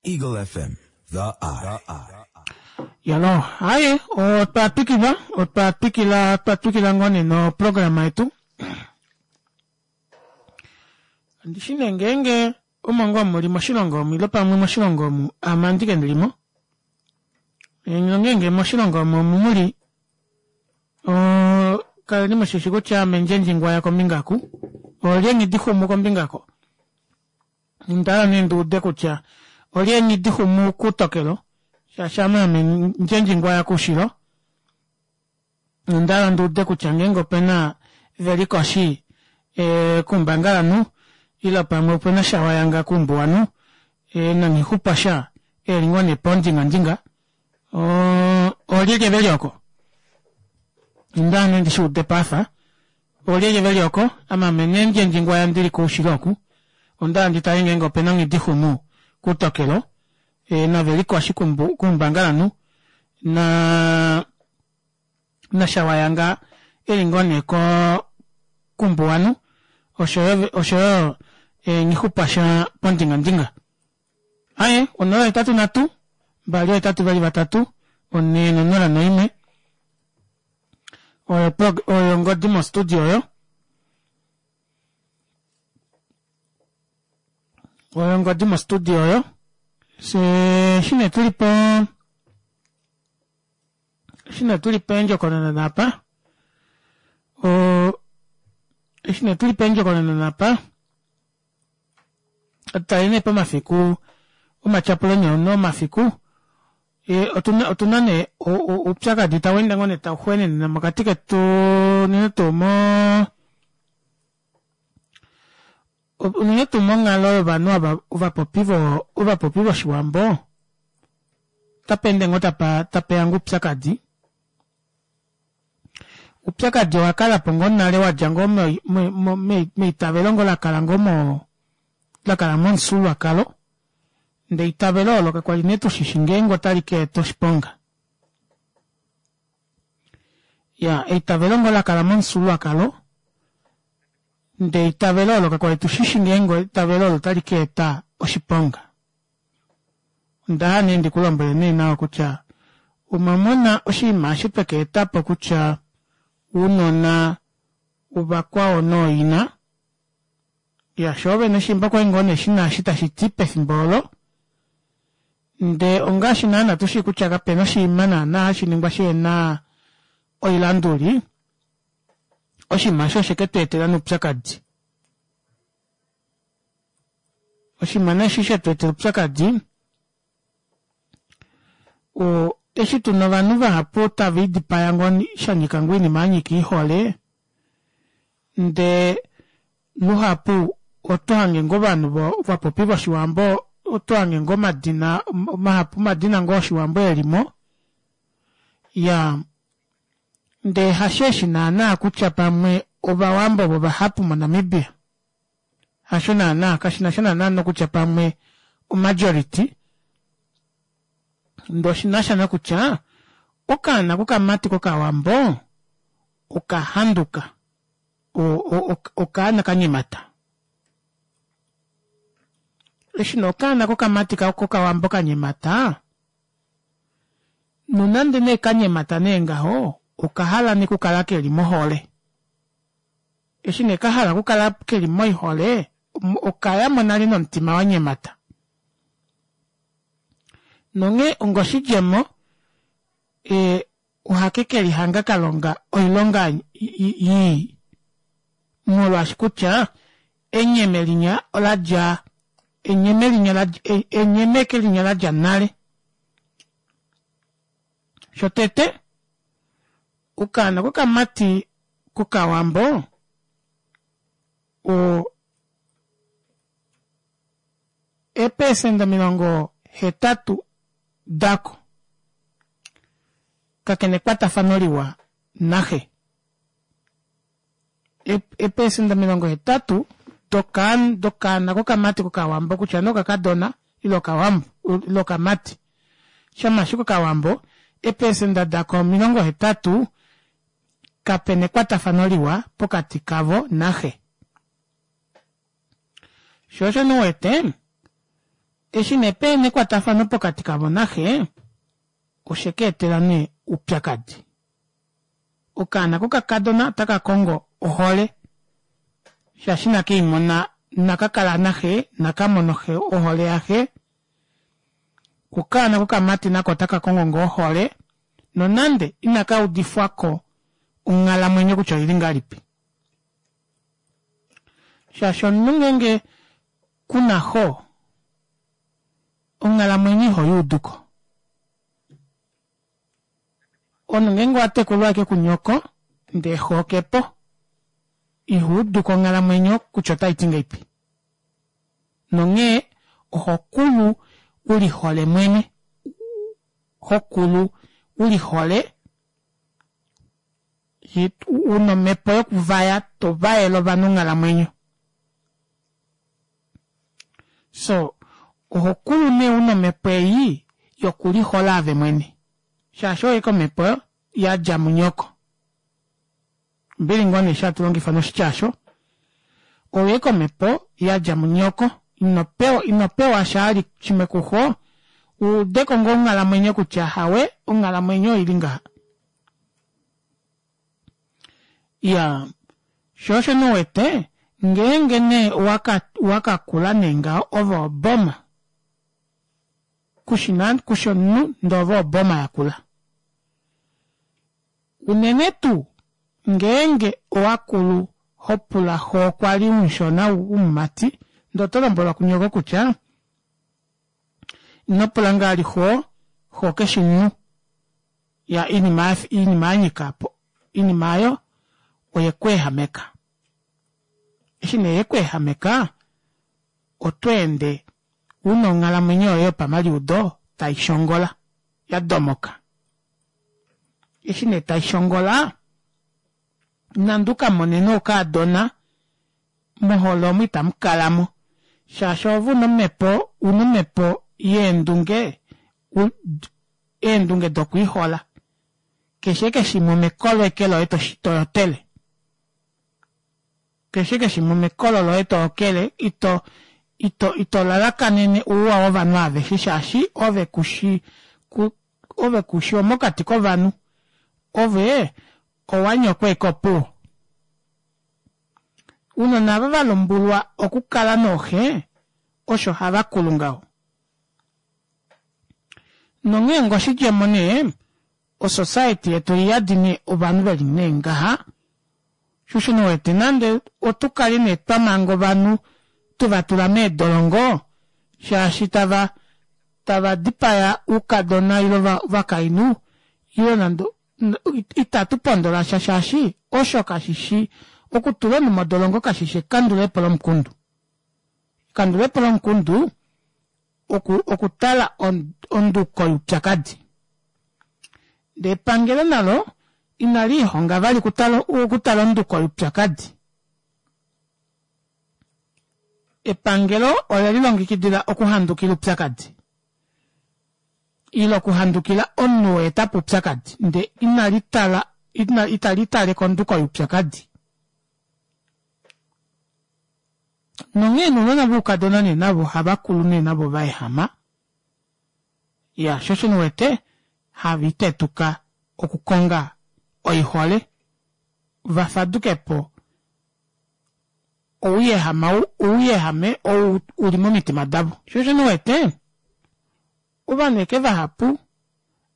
Eagle FM, The Eye. Yalo, haye, otwa twikila, otwa twikila, twa twikila ngoo nee noprograma yetu. Kandi shi nee ngeenge omo ngoo muli moshilongo omu ile pamwe moshilongo omu ame andike ndili mo. Nongeenge moshilongo omu omu muli kaleni mushishi kutya ame ndjendjingwaya kombinga ku olye nghidixumu kombinga ko. Onda hala nee ndi ude kutya olye nghidixumu kutokelo shaashi ame ame ndjendjingwaya koushilo. Onda hala ndi ude kutya ngeenge opena veli koshi koumbangalanhu ile pamwe opena shawayanga koumbuwanhu nanghixupwasha eli ngoo nee pondingandinga oolyelye veli oko? Onda hala nee ndi shi ude paafa oolyelye veli oko ame ame nee ndjendjingwaya ndili koushilo oku onda hala nditale ngeenge opena nghidixumu kutokelo naveli koshi koumbangalanhu na nashawayanga eli ngoo nee koumbuwanhu oshoyo nghixupwasha pondingandinga. Aye 083 283 401 oyo oyo ongodi mostudio oyo. Oyo ongodi mostudio oyo. Se shine tuli po shine tuli peendjokonona napa. O shine tuli peendjokonona napa. Otali nee pomafiku omatyapulo nee omafiku otuna nee oupyakadi tau ende ngoo nee tau xwenenena mokati ketu unene tuu mo unene tuu monghalo yovanhu ava ovapopi vo ovapopi voshiwambo otapa ende ngoo tapa tapeya ngoo oupyakadi. Oupyakadi owa kala po ngoo nale wadja ngoo meitavelo ngoo lakala ngoo mo lakala momufyuululwakalo ndee eitavelo olo kakwali nee tushishi ngeenge otali ka eta oshiponga. Ya eitavelo ngoo lakala momufyuululwakalo ndee eitavelo olo kakwali tushishi ngeenge eitavelo olo otali ka eta oshiponga. Onda hala nee ndikulombwele nee nawa kutya omwamona oshinima eshi tweka etapo kutya ounona ovakwao nooina ya shoo vene shimba okwali ngoo nee shina eshi tashiti pefimbo olo ndee ongaashi naana tushii kutya kapena oshinima naana hashi ningwa shihena oilanduli oshinima eshi oshe ketu etela noupyakadi. Oshinima nee eshi shetu etela oupyakadi o eshi tuna ovanhu vahapu tava idipaya ngoo shanyika ngoo oinima yanyika oihole ndee luhapu oto hange ngoo ovanhu vapopi voshiwambo oto hange ngoo omadina mahapu omadina ngoo oshiwambo elimo ya ndee hasheeshi naana kutya pamwe ovawambo ovo vahapu moNamibia hasho naana kashinasha naana nokutya pamwe omajority ndee oshinasha nokutya okaana kokamati kokawambo okahanduka okaana kanyemata. Eshi nee okaana kokamati kokawambo kanyemata nonande nee kanyemata nee ngaho okahala nee okukala keli mohole. Eshi nee kahala okukala keli moihole okayamo nale nomutima wanyemata. Nonghee ongoshidjemo ohake kelihanga kalonga oilonga ii molwaashi kutya enyeme linya oladja enyeme linya enyemeke linya ladja nale. Shotete okaana kokamati kokawambo o eepesenda 80 dako kakena ekwatafano liwa naxe. Eepesenda 80 dokaana kokamati kokawambo kutya nee okakadona ile okawambo ile okamati shama ashike okawambo eepesenda dako 80 kapena ekwatafano liwa pokati kavo naxe. Sho osho nee uwete. Eshi nee pehena ekwatafano pokati kavo naxe, oshe ka etela nee oupyakadi. Okaana kokakadona otaka kongo ohole shaashi inake i mona, inaka kala naxe, inaka mona ohole yaxe. Okaana kokamati nako otaka kongo ngoo ohole nonande inaka udifwa ko onghalamwenyo kutya oili ngahelipi. Shaashi omunhu ngeenge kuna xo, onghalamwenyo iho i udu ko. Omunhu ngeenge owa tekulwa ashike kunyoko ndee xo ke po, iho udu ko onghalamwenyo kutya otai ti ngahelipi. Nonghee oho kulu u lihole mwene, ho kulu u lihole una omhepo yokuvaya to vayele ovanhu onghalamwenyo. So oho kulu nee una omhepo ei yokulihola ave mwene shaashi oyo ashike omhepo yadja munyoko. Ombili ngoo nee eshi hatu longifa noshitya osho. Oyo ashike omhepo yadja munyoko. Ino pewa ino pewa sha shimwe kuxo u udeko ngoo onghalamwenyo kutya hawe onghalamwenyo oili ngaha. Iyaa, sho osho nee uwete ngeenge nee owaka owaka kula nee ngaho ove oboma kushi na kushi omunhu ndee ove oboma yakula. Unene tuu ngeenge owa kulu ho pula xo kwa li umushona womumati ndee oto lombwelwa kunyoko kutya ino pula ngaa li xo, xo keshi omunhu. Ya iinima iinima ya nyika po iinima aayo oye ku ehameka. Eshi nee ye ku ehameka oto ende una onghalamwenyo yoye yopamaliudo tai shongola, ya domoka. Eshi nee tai shongola, nande u ka mone nee okaadona, mohole omo itamu kala mo. Shaashi ove una omhepo, una omhepo yeendunge, eendunge dokwiihola. Keshe eke shimwe omekolo eke loye to yotele. Keshe keshimwe omekolo loye to okele, ito, ito, ito lalakanene ouwa wovanhu aveshe shaashi ove kushi, ku, ove kushi omokati kovanhu. Ove owa nyokwa eke opuwo. Ounona ava va lumbulwa okukala nooxe osho hava kulu ngaho. Nonghee ngoshidjemo nee, osociety yetu oiyadi nee ovanhu veli nee ngaha, shosho nee wete nande otu kale nee twa manga ovanhu tuva tula meedolongo shaashi tava tava dipaya oukadona ile ovakainhu ile nande itatu pondola sha shaashi osho kashishi okutula omunhu modolongo kashishi ekandulepo lomukundu. Ekandulepo lomukundu oku okutala onduko youpyakadi. Ndee epangelo nalo inali lihonga vali okutala onduko youpyakadi. Epangelo ole lilongekidila okuhandukila oupyakadi ile okuhandukila omunhu oo eta po oupyakadi ndee inali tala itali tale konduko youpyakadi. Nonghee nounona voukadona nee navo ohava kulu nee navo va ehama. Iya, sho osho nee uwete hava itetuka okukonga oihole va faduke po ouyehama ouyehame ou u li momitima davo. Sho osho nee uwete ovanhu eke vahapu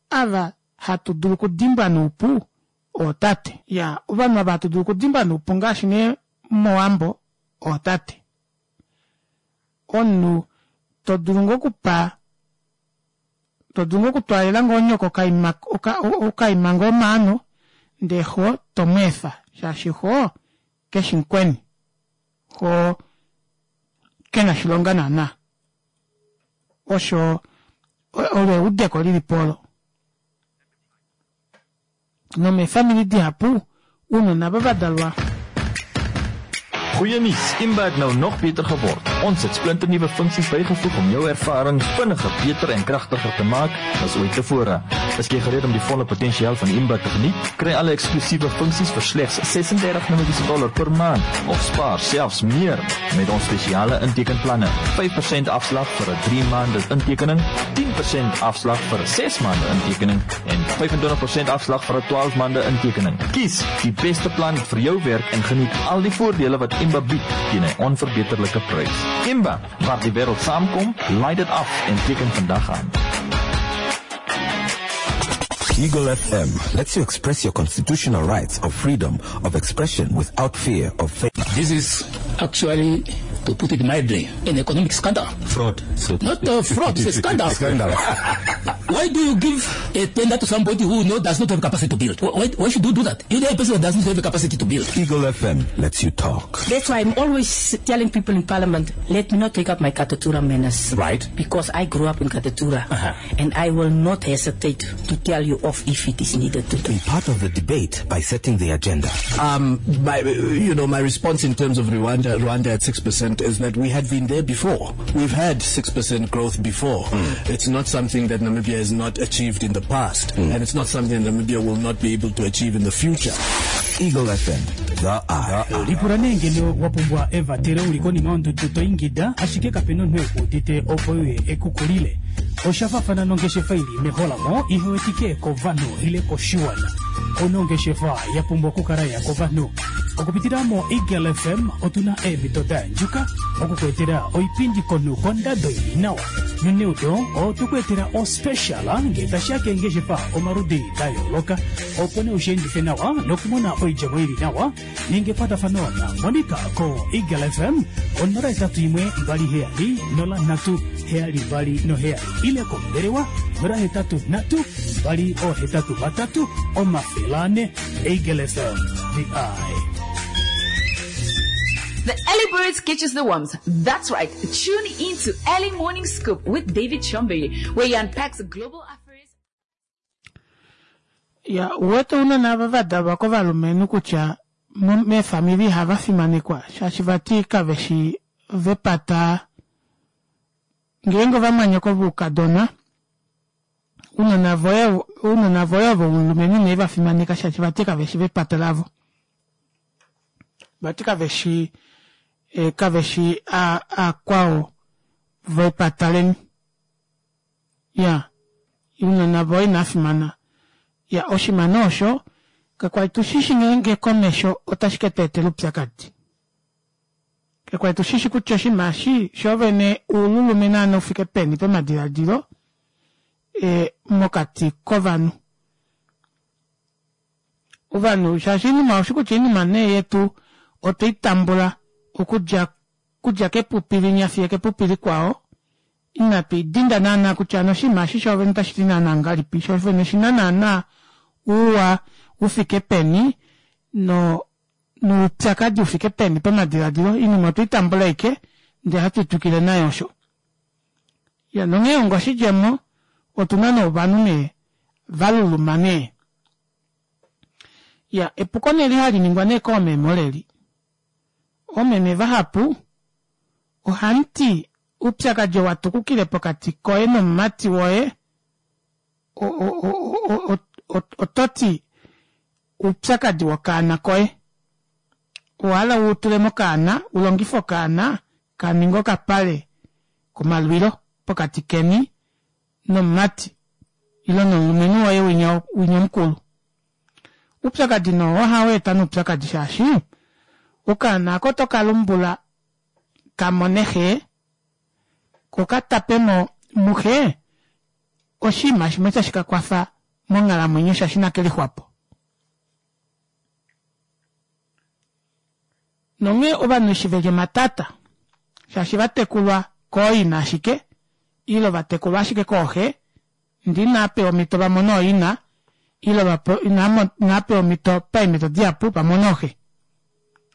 ava hatu dulu okudimbwa noupu ootate. Iya, ovanhu ava hatu dulu okudimbwa noupu ngaashi nee mOwambo ootate. Omunhu to dulu ngoo okupa to dulu ngoo okutwaalela ngoo nyoko okaima okaima ngoo omaano ndee xo to mu efa shaashi xo keshi mukweni xo kena oshilonga naana. Osho olo eudeko lilipo olo. Nomeefamili dihapu, ounona ava va dalwa. Goeie nuus, Imba het nou nog beter geword. Ons het splinternuwe funksies bygevoeg om jou ervaring vinniger, beter en kragtiger te maak as ooit tevore. Is jy gereed om die volle potensiaal van Imba te geniet? Kry alle eksklusiewe funksies vir slegs 36 Namibiese dollar per maand of spaar selfs meer met ons spesiale intekenplanne. 5% afslag vir 'n 3 maande intekening, 10% afslag vir 'n 6 maande intekening en 25% afslag vir 'n 12 maande intekening. Kies die beste plan vir jou werk en geniet al die voordele wat Imba bied teen 'n onverbeterlike prys. Imba, waar die wêreld saamkom, laai dit af en teken vandag aan. Eagle FM lets you express your constitutional rights of freedom of expression without fear of failure. This is actually, to put it mildly, an economic scandal. Fraud. So to Not speak. a fraud, it's a scandal. Scandal. Why do you give a tender to somebody who does not have capacity to build? Why should you do that? You know a person that does not have the capacity to build. Eagle FM lets you talk. That's why I'm always telling people in Parliament, let me not take up my Katutura manners. Right. Because I grew up in Katutura. And I will not hesitate to tell you off if it is needed to do. Be part of the debate by setting the agenda. My response in terms of Rwanda at 6% is that we had been there before. We've had 6% growth before. It's not something that Namibia has not achieved in the past, and it's not something that Namibia will not be able to achieve in the future. Eagle FM, the Eye. Lipula nee ngeno wa pumbwa evatelo uli konima yondudu to ingida ashike kapena omunhu ekuudite opo uye ekukulile. Osha faafana nongeshefa ili meholamo ihe wetike kovanhu ile koshiwana. Onongeshefa ya pumbwa okukala ya kovanhu. Okupitila mo Eagle FM otuna eemhito da yandjuka okukuetela oipindi komunhu kondado ili nawa. Noneudo otukuetela ospecial ngee tashiya keengeshefa omaludi da yooloka opo nee ushiendife nawa nokumona oidjemo ili nawa. Ninga ekwatafano na Monica ko Eagle FM 081 27 03 72 7 ile kombelewa 083 283 400. Eagle FM, the eye. The Early Birds catches the worms. That's right. Tune in to Early Morning Scoop with David Chombery, where he unpacks global affairs. Ya, uwete unene ava va dalwa kovalumenhu kutya meefamili ihava fimanekwa shaashi vati kave shi vepata ngeenge ovamwanyoko voukadona ounona voye ounona voye ovo oulumenhu inave va fimaneka shaashi vati kave shi vepata lavo vati kave shi eh, kave shi akwao vepata leni ya ounona voye inava fimana ya oshimano osho kakwali tushishi ngeenge komesho otashi ke tu etela oupyakadi kakwali tushishi kutya oshinima eshi shoovene oululume naana ufike peni pamadiladilo e, mokati kovanhu ovanhu shaashi oinima oshi kutya oinima nee yetu otwei tambula okudja kudja kepupi linya fiyo kepupi likwao inatu idinda naana kutya ano oshinima eshi shoovene otashi ti naana ngahelipi shoovene oshina naana ouwa ufike peni no noupyakadi ufike peni pamadiladilo oinima otwei tambula ashike ndee hatu twikile nayo osho ya nonghee onga oshidjemo otuna nee ovanhu nee valuluma nee ya epuko nee eli hali ningwa nee koomeme oleli oomeme vahapu ohamuti oupyakadi oo watukukile pokati koye nomumati woye ototi oupyakadi wokaana koye owahala utule mokaana ulongife okaana kaninge okapale komalwilo pokati keni nomumati ile nomulumenhu woye winya winya omukulu. Oupyakadi noo ohau eta noupyakadi shaashi okaana ako oto lumbula ka mone xe ko ka tape mo muxe oshinima shimwe tashi ka kwafa monghalamwenyo shaashi inake lixwapo. Nonghee ovanhu eshi veli omatata shaashi va tekulwa kooina ashike ile va tekulwa ashike kooxe ndee inava pewa omhito va mone ooina ile inava pewa omhito paemhito dihapu va mone ooxe.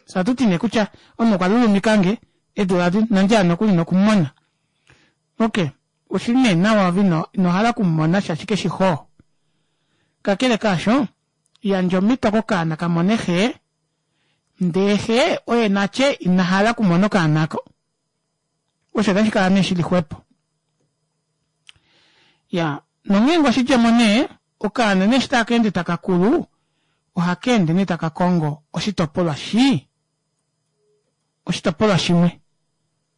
Fye ohatu ti nee kutya omunhu okwa lulumikange eedula adi inandi hala nokuli nokumumona. Ok, oshili nee nawa ove ino hala okumumona shaashi keshi xoo. Kakele kaasho, yandja omhito kokaana ka mone xe. Ndee xe oye natye ina hala okumona okaana ako. Osho otashi kala nee shili xwepo. Ya, nonghee ngoo oshidjemo nee, okaana nee eshi taka ende taka kulu, ohaka ende nee taka kongo oshitopolwa shi, oshitopolwa shimwe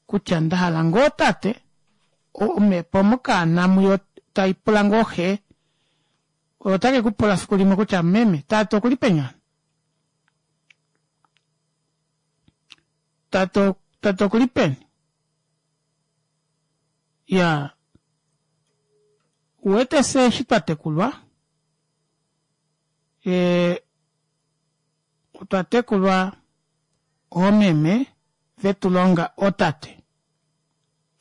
kutya nda hala ngoo tate, omhepo mokaana muyo tai pula ngoo xe, otake ku pula fiku limwe kutya meme, tate okuli peni hano? Tate, tate okuli peni? Ya, uwete fye eshi twa tekulwa, e, otwa tekulwa oomeme vetu longa ootate,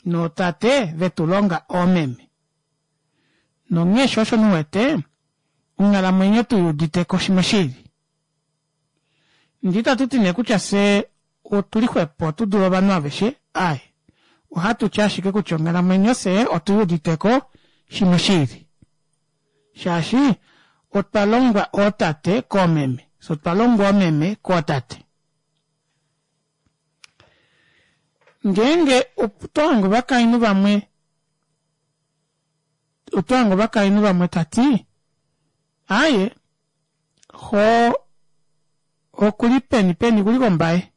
nootate vetu longa oomeme. Nonghee sho osho mu wete, onghalamwenyo tu udite ko shimwe shili. Ndee itatu ti nee kutya fye otu li xwepo tu dule ovanhu aveshe, aaye. Ohatu ti ashike kutya onghalamwenyo fye otu i udite ko shimwe shili. Shaashi otwa longwa ootate koomeme, fye otwa longwa oomeme kootate. Ngeenge oto hange ovakainhu vamwe oto hange ovakainhu vamwe ta ti, Aaye, xo okuli peni peni okuli kombaye.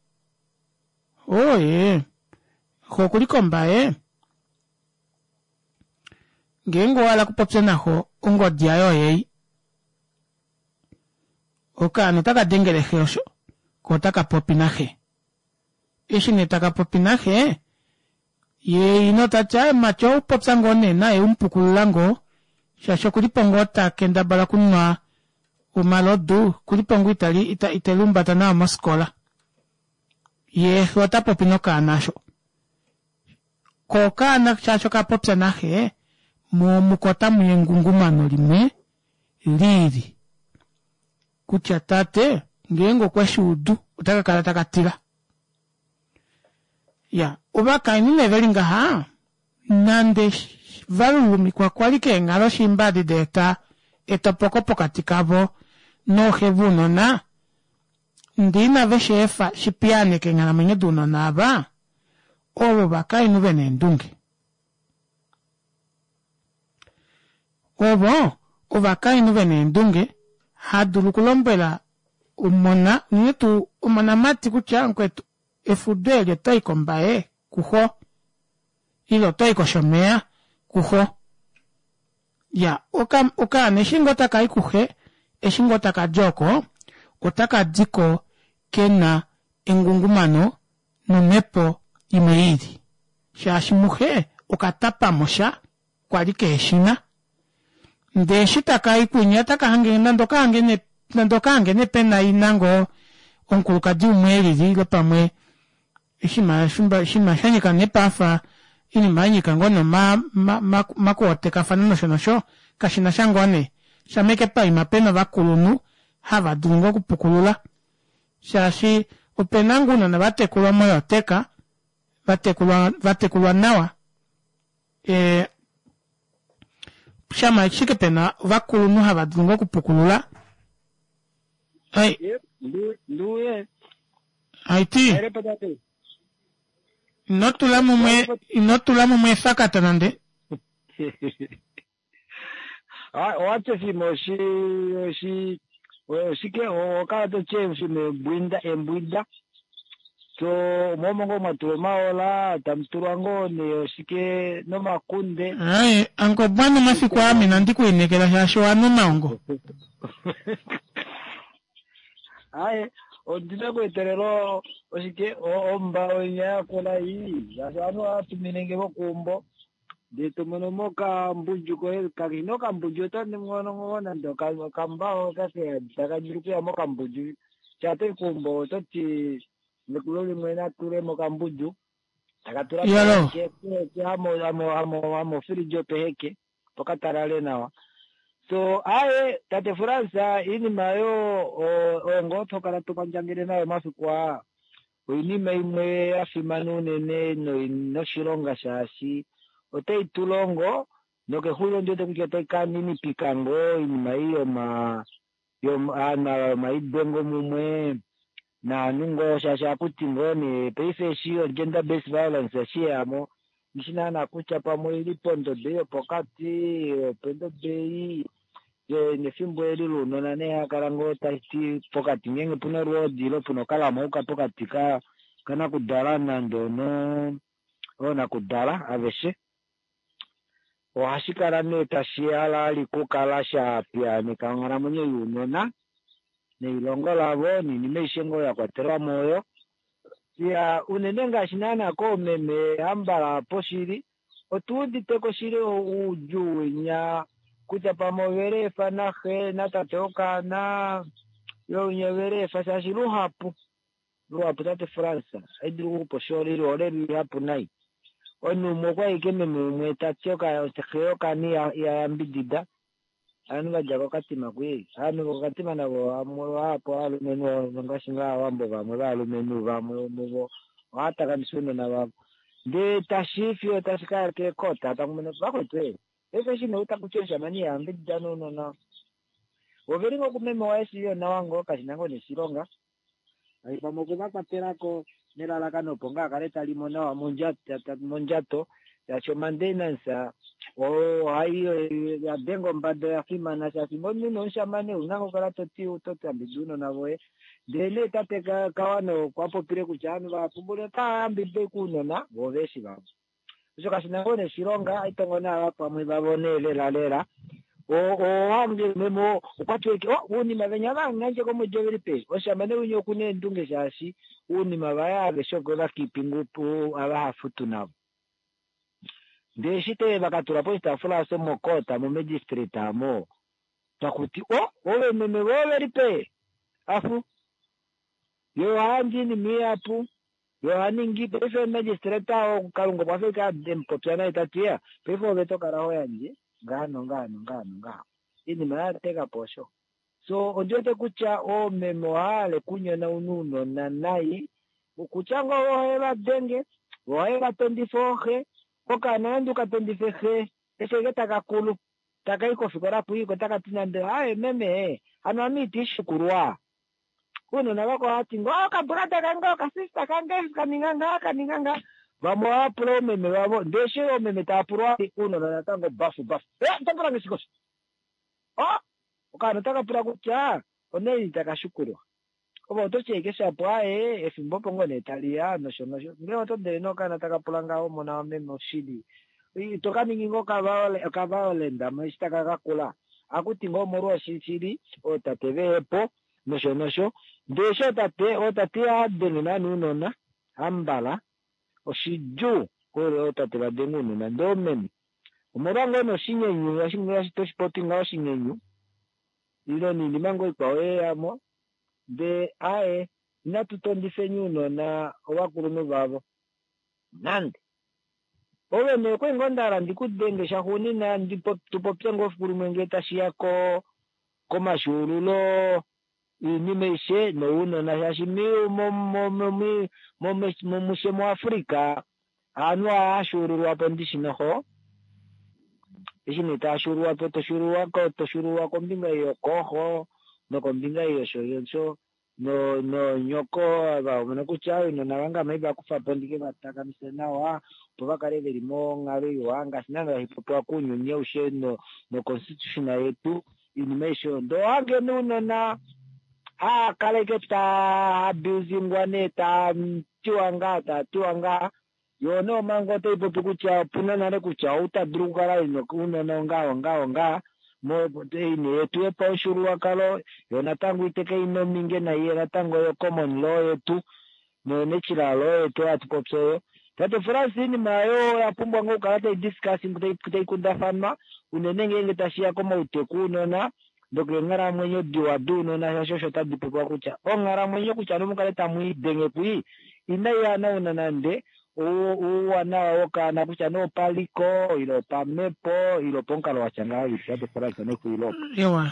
Ooye, xo okuli kombaye. Ngeenge owa hala okupopya naxo ongodi yaye oyei. Okaana otaka dengele xe osho, ko otaka popi naxe. Eshi nee taka popi naxe, ye ina ota ti, Aaye mumati ou popya ngoo nee naye u mu pukulula ngoo, shaashi oku li po ngoo ta kendabala okunwa omalodu, oku li po ngoo ita ite lihumbata nawa mosikola. Ye xe ota popi nokaana osho. Ko okaana shaashi oka popya naxe, mo muko otamu ya engungumano limwe li li kutya tate ngeenge okwe shi udu ota ka kala taka tila. Ya, ovakainhu nee veli ngaha nande va lulumikwa kwali keenghalo shiimba adi da eta etopoko pokati kavo nooxe vounona, ndee inave shi efa shi piyaaneke eenghalamwenyo dounona ava, ovo ovakainhu ve na eendunge. Ovo ovakainhu ve na eendunge, ha dulu okulombwela omona, unene tuu omonamati kutya mukwetu efudo eli oto i kOmbaye kuxo ile oto i kOshomeya kuxo. Ya, oka, okaana eshi ngoo taka i kuxe, eshi ngoo taka di oko, otaka di ko ke na engungumano nomhepo imwe i lili. Shaashi muxe oka tapa mo sha kwa li kehe shi na. Ndee eshi taka i kwinya otaka hange nande oka hange nee nande oka hange nee pe na ina ngoo omukulukadi umwe e lili ile pamwe oshinima oshinima sha nyika nee paafa oinima ya nyika ngoo nee oma omakuotekafana nosho nosho kashi na sha ngoo nee. Shamha ashike paima pe na ovakulunhu hava dulu ngoo okupukulula shaashi ope na ngoo ounona va tekulwa moyoteka va tekulwa va tekulwa nawa e, shama ashike pe na ovakulunhu hava dulu ngoo okupukulula ai Nduye. Aiti ino tula mumwe ino tula mumwe efakata nande Ah, owati oshinima oshi oshi oshike oho kala to ti oshinima embwinda embwinda so omo ngoo mwa tulwa omaola tamu tulwa ngoo nee oshike nomakunde Aye, anko bwana omafiku aa inandi ku inekela shaashi owa nwa omaongo. Aye, ondina kuetelela oshike omba inya yakula iyi shaashi ovanhu ohava tumine nge vokuumbo ndee to mono mo okambudju koye kakeshi nee okambudju oto mono ngoo nande okambao taka dulu okuya mokambudju shaa toyi keumbo oto ti mekulo limwe natule mokambudju taka tula Yalo. amo fridge opeheke opo katalale nawa so aye tate Frans iinima yo oyo ngoo tokala tokwandjangele nayo omafiku aa oinima imwe ya fimana unene noshilonga shaashi otai tu longo nokexulilo ndi wete kutya otai ka ninipika ngoo oinima ei yoma yoma yomaidwengo mumwe. Naanhu ngoo shaashi ohakuti ngoo nee paife eshi o gender based violence eshi yeyamo nghishi naana kutya pamwe oili pondodo ei yopokati, opondodo ei nefimbo eli lounona nee hakala ngoo tashiti pokati ngeenge puna olwoodi ile puna okalamauka pokati ka kanakudala nande ono oonakudala aveshe ohashi kala nee tashi halali kukala sha piyaaneka onghalamwenyo younona neilongo lavo noinima aishe ngoo ya kwatelwa mo oyo. Iya, unene ngaashi naana koomeme hambala poshili, otu udite ko shili oudjuu winya kutya pamwe ovele efa naxe natate wokaana, yo winya ovele efa shaashi luhapu, luhapu tate Frans, ohai dulu okukupa oshoolili ohole ihapu nai. Omunhu umwe okwa ike meme umwe ta ti xe yokaana iha yambidida, ovanhu va dja kokatima kwii. Ovanhu vokokatima navo vamwe vahapu ovalumenhu ngaashi ngaa Aawambo vamwe valumenhu vamwe muvo ohava takamisa ounona vavo. Ndee tashi fiyo tashi kaya keekota taku vakwetu ee. Paife eshi nee utaku ti omushamane iha yambidida nounona oveli ngoo kumeme waye shili onawa ngoo kashina ngoo neshilonga. Ai pamwe okwe va kwatelako nelalakano opo ngaa akale talimo nawa mondjato shaashi omandainance ohai ya denga ombada oya fimana shaashi omunhu nomushamane ouna ngoo okukala toti oto yambidida ounona voye. Ndele nee tate Kawana okwa popile kutya ovanhu vahapu otava yambidida ashike ounona voo veshi vavo. Osho kashina ngoo neshilonga aitongo naava pamwe vavo nee lela lela. Owange meme okwa ti oh uunima venya vangandje komwedi oveli pe oshamane winya okuna eendunge shaashi uunima vaye aveshe okwe va keeping ava hafutu navo. Ndee eshi te vakatula poshitaafula osho mocourt mo magistrate amo takuti oh ove meme voye oveli pe afu yo ohayandje oinima ihapu yo ohaningi paife magistrate oo Kalunga okwa fa ashike emupopya naye tati ya paife ove tokala ho yandje ngaha nongaha nongaha nongaha oinima yatekapo osho. So ondiwete kutya oomeme ohahale kunyona ounona nai kutya ngoo ohe vadenge ohe vatondifa ooxe okaana nande ukatondife xe eshi ashike takakulu takai kofikola kwii ko takati nande aaye meme hano ame itiishukulwa. Uunona vako ohati ngoo okabrother kange okasister kange kaninga ngaha kaninga ngaha. Vamwe ohava pula oomeme vavo ndee eshi oomeme tava pulwa uunona natango bafu bafu. Eh oto pula nge shike osho? Oh okaana otaka pula kutya onaini taka shukulwa. Ove oto ti ashike shapo aaye efimbo opo ngoo nee taliya nosho nosho. Ngee oto dele nee okaana taka pula ngaho omona wameme oshili ito kaningi ngoo okaviolent eshi taka kakula. Ohakuti ngoo omolwa oshili ootate vehepo nosho nosho. Ndee eshi ootate ootate ihava naana ounona hambala oshidjuu ootate vadenge ounona ndee oomeme omolwa ngoo nee oshinyenyu toshipopi ngaho oshinyenyu ile noinima ngoo ikwao yeyamo ndee aaye inatu tondifeni ounona ovakulunhu vavo nande. Ove nee okwali ngoo ndahala ndikudenge shaxuunina tupopye ngoo efiku limwe ngee tashiya komashuululo oinima aishe nounona shaashi mushe muAfrica ovanhu ohava ndishi noho. Eshi nee tava shuululwapo toshuululwa kombinga yokooxo nokombinga yosho nonyoko vamona kutya ounona vange ame haivakufapo ndike vatakamise nawa opo vakale veli monghalo iwa ngaashi naana hashi kuunyuni aushe noconstitution yetu iinima aishe oyo. Ndee ohange nee ounona haakaleke taa abusingwa nee taatiwa ngaha taatiwa ngaha yo nee omhango otai popi kutya opuna nale kutya ou tadulu okukala ena ounona ongaha ongaha ongaha eine yetu yopamufyuululwakalo yo natango iteke ina ominge naiye natango yo common law yetu no-natural law yetu hatu popi oyo. Tate Frans iinima oyo oya pumbwa ngoo okukala tai discussing tai kundafanwa unene ngeenge tashiya komauteku ounona nokeenghalamwenyo diwa dounona shaashi osho tadi popiwa kutya onghalamwenyo kutya nomukale tamwiidenge kwii inai hanauna nande ouwanawa wokaana kutya nee opaliko ile opamhepo ile opomukalo watya ngahelipi tate Frans nexulilo opo. Iwa.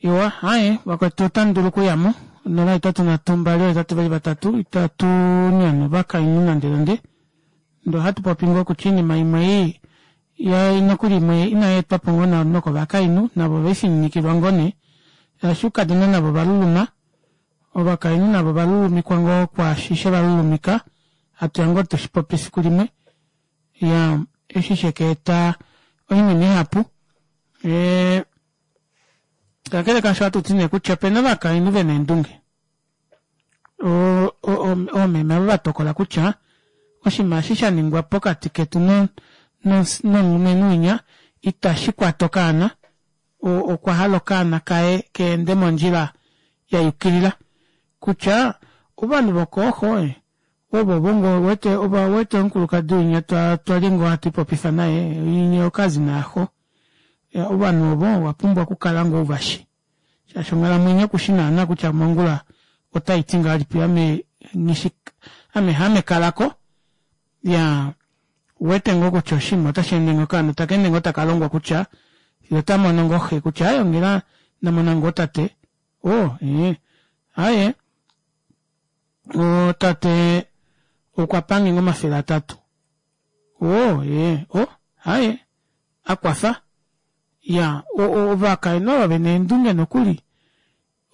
Iwa, haye vakwetu otamu dulu okuyamo 0 8 3 2 8 2 3 itatu nyana ovakainhu nande nande. Ndee ohatu popi ngoo kutya oinima imwe ei ya nokuli imwe inai etwapo ngoo nokovakainhu navo oveifininikilwa ngoo nee. Shaashi oukadona navo ovaluluma, ovakainhu navo ovalulumikwa ngoo kwaashi shevalulumika, hatuya ngoo tushipopi efiku limwe. Ya eshi sheka eta oinima ihapu. Ee kakele kaasho ohatu ti nee kutya opena ovakainhu vena eendunge. Oomeme ava vatokola kutya oshinima eshi shaningwa pokati ketu nomulumenhu winya itashi kwata okaana, okwa hala okaana kaye keende mondjila yayukilila. Kutya ovanhu vokooxo ovo ngoo uwete uwete omukulukadi winya twali ngoo hatu ipopifa naye winya okazina yaxo. Ovanhu ovo owapumbwa okukala ngoo uvashi shaashi onghalamwenyo kushi naana kutya mongula otaiti ngahelipi ame nghishi ame haame kalako iyaa ouwete ngoo kutya oshinima otasheende ngoo okaana otakeende ngoo takalongwa kutya fiyo otamono ngoo xe kutya aaye onghela ndamona ngoo tate oo ee aaye tate okwapange ngoo 300 oo ee o aaye akwafa iyaa ovakainhu ava vena eendunge nokuli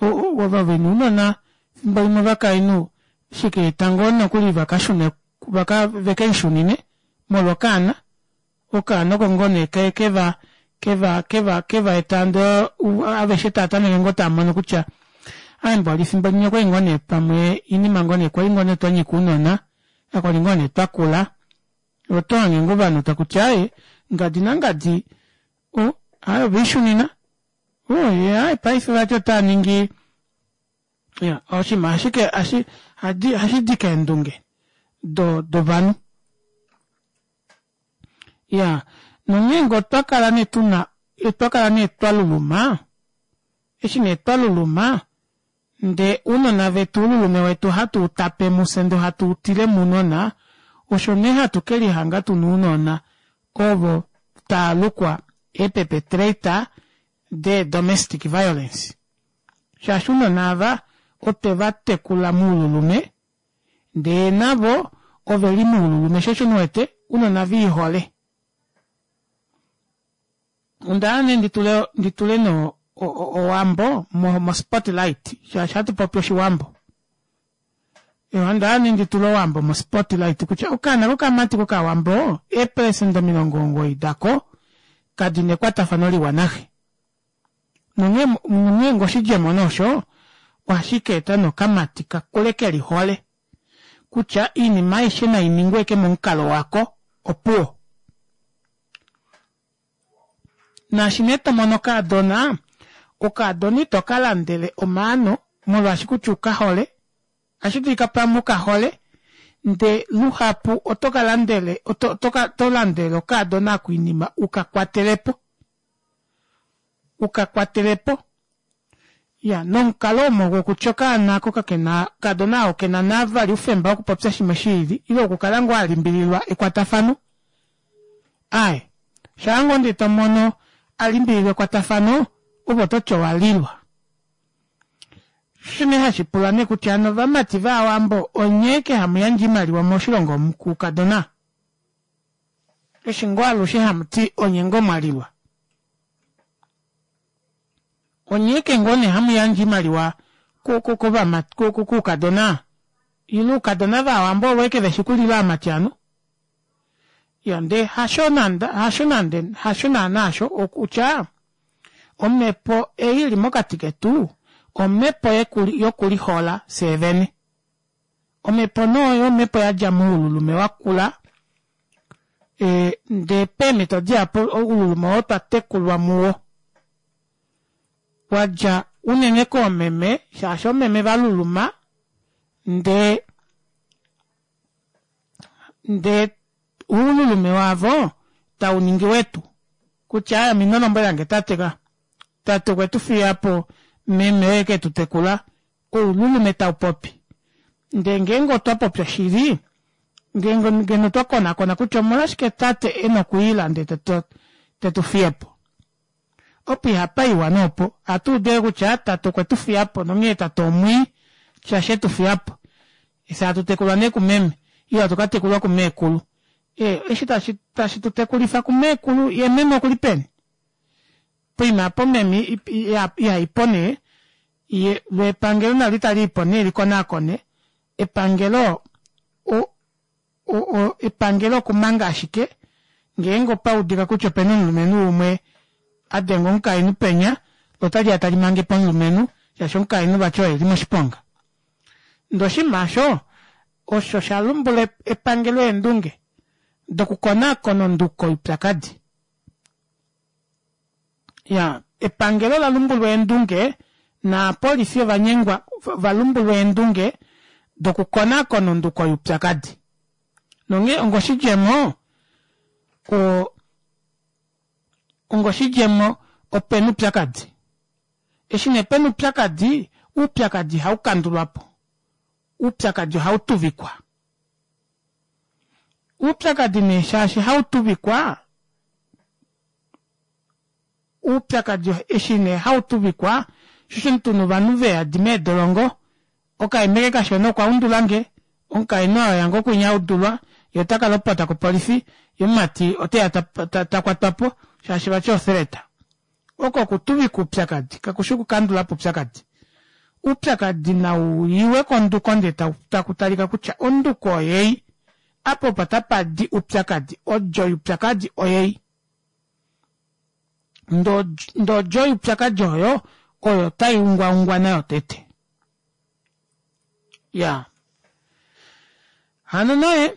ova vena ounona efimbo limwe ovakainhu shikeeta ngoo nokuli vakashune vaka vekelishunine molwa okaana okaana oko ngoo nee keva keva keva keva eta ndee aveshe taatameke ngoo taamono kutya aaye mboli efimbo limwe okwali ngoo nee pamwe oinima ngoo nee kwali ngoo nee twanyika ounona kakwali ngoo nee twakula otohange ngoo ovanhu takuti aaye ngadi nangadi o aaye ovelishunina oo yee aaye paife vati otaaningi iya oshinima ashike ohashidi keendunge dovanhu iyaa nonghee ngee otwa kala nee tuna otwa kala nee twaluluma eshi nee twaluluma ndee ounona vetu oululume wetu ohatu utape mufye ndee hatu utile mounona osho nee hatu kelihanga tuna ounona ovo taalukwa ee perpetrator de domestic violence shaashi ounona ava otwe vatekula moululume ndee navo oveli moululume sho osho uwete ounona viihole. Onda hala nee nditule nditule nee owambo mo spotlight shaashi ohatu popi oshiwambo. Onda hala nee nditule owambo mo spotlight kutya okaana kokamati kokawambo eepelesenda 90 dako kadina ekwatafano liwa naxe. Nonghee nonghee ngee oshidjemo nee osho ohashi ka eta nee okamati kakule kelihole kutya oinima aishe nainingwe ashike momukalo wako opuwo. Naashi nee tomono okaadona, okaadona ito ka landele omaano molwaashi kutya ukahole, ohashi dulika pamwe ukahole ndee luhapu oto ka landele oto landele okaadona ako oinima uka kwatelepo. Uka kwatelepo. Iya, nomukalo omo wokutya okaana ako kakena, okaadona ako kena navali oufemba wokupopya shimwe shiili ile okukala ngoo alimbililwa ekwatafano. Aaye, shaa ngoo ndee tomono alimbililwa ekwatafano, ove ototi owalilwa. Osho nee hashi pula nee kutya hano ovamati vaawambo onye ashike hamu yandje oimaliwa moshilongo omu kuukadona? Eshi ngoo alushe hamu ti onye ngoo mwalilwa? Onye ashike ngoo nee hamu yandje oimaliwa kuukadona? Ile oukadona vaawambo ovo ashike veshi kulila aamati hano? Iya ndee hasho nande hasho nande hasho naana hasho okutya omhepo ei ili mokati ketu omhepo yokulihola fyee vene. Omhepo nee oyo omhepo yadja moululume wakula ndee peemhito dihapu oululume oo otwa tekulwa muwo wadja unene koomeme shaashi oomeme valuluma ndee ndee oululume wavo tauningi wetu kutya ame ino lombwelange tate ka tate okwe tu fiyapo meme oye ketu tekula oululume taupopi ndee ngeenge otwa popi oshili ngeenge ngeno otwa konakona kutya omolwashike tate ena okwiila ndee tetu fiyepo opo ihapa iwa nee opo ohatu udu ashike kutya tate okwe tu fiyapo nonghee tate omwii shaashi etu fiyapo fye hatu tekulwa nee kumeme ile hatu ka tekulwa kumeekulu ee eshi tashi tashi tu tekulifa kumeekulu ye meme okuli peni poima apo meme ihaipo nee. Ye, lo epangelo nali tali ipo nee likonaakone, epangelo o, o, o, epangelo okumanga ashike ngeenge opa udika kutya opena omulumenhu umwe a denga omukainhu penya, lo otali ya tali mange po omulumenhu shaashi omukainhu vati oye e li moshiponga. Ndee oshinima osho osho sha lumbula epangelo eendunge dokukonaakona onduko youpyakadi. Ya, epangelo ola lumbulwa eendunge naapolifi ova nyengwa va lumbulwa eendunge dokukonaakona onduko youpyakadi. Nonghee ongoshidjemo, o, ongoshidjemo opena oupyakadi. Eshi nee pena oupyakadi, oupyakadi ihau kandulwa po. Oupyakadi ohau tuvikwa. Oupyakadi nee shaashi hau tuvikwa, oupyakadi eshi nee hau tuvikwa, sho osho tuna ovanhu ve yadi meedolongo, okaimeke kashona okwa undula nge, omukainhu oo yange okwinya audulwa, ye ota ka lopota kopolifi, ye omumati oteya ta kwatwa po shaashi vati othreat. Oko okutuvika oupyakadi, kakushi okukandula po oupyakadi. Oupyakadi nau iwe konduko ndee taku talika kutya onduko oyei, apa opo tapa di oupyakadi, odjo youpyakadi oyei. Ndee odjo youpyakadi oyo, oyo tai ungwaungwa nayo tete. Ya. Hano nee,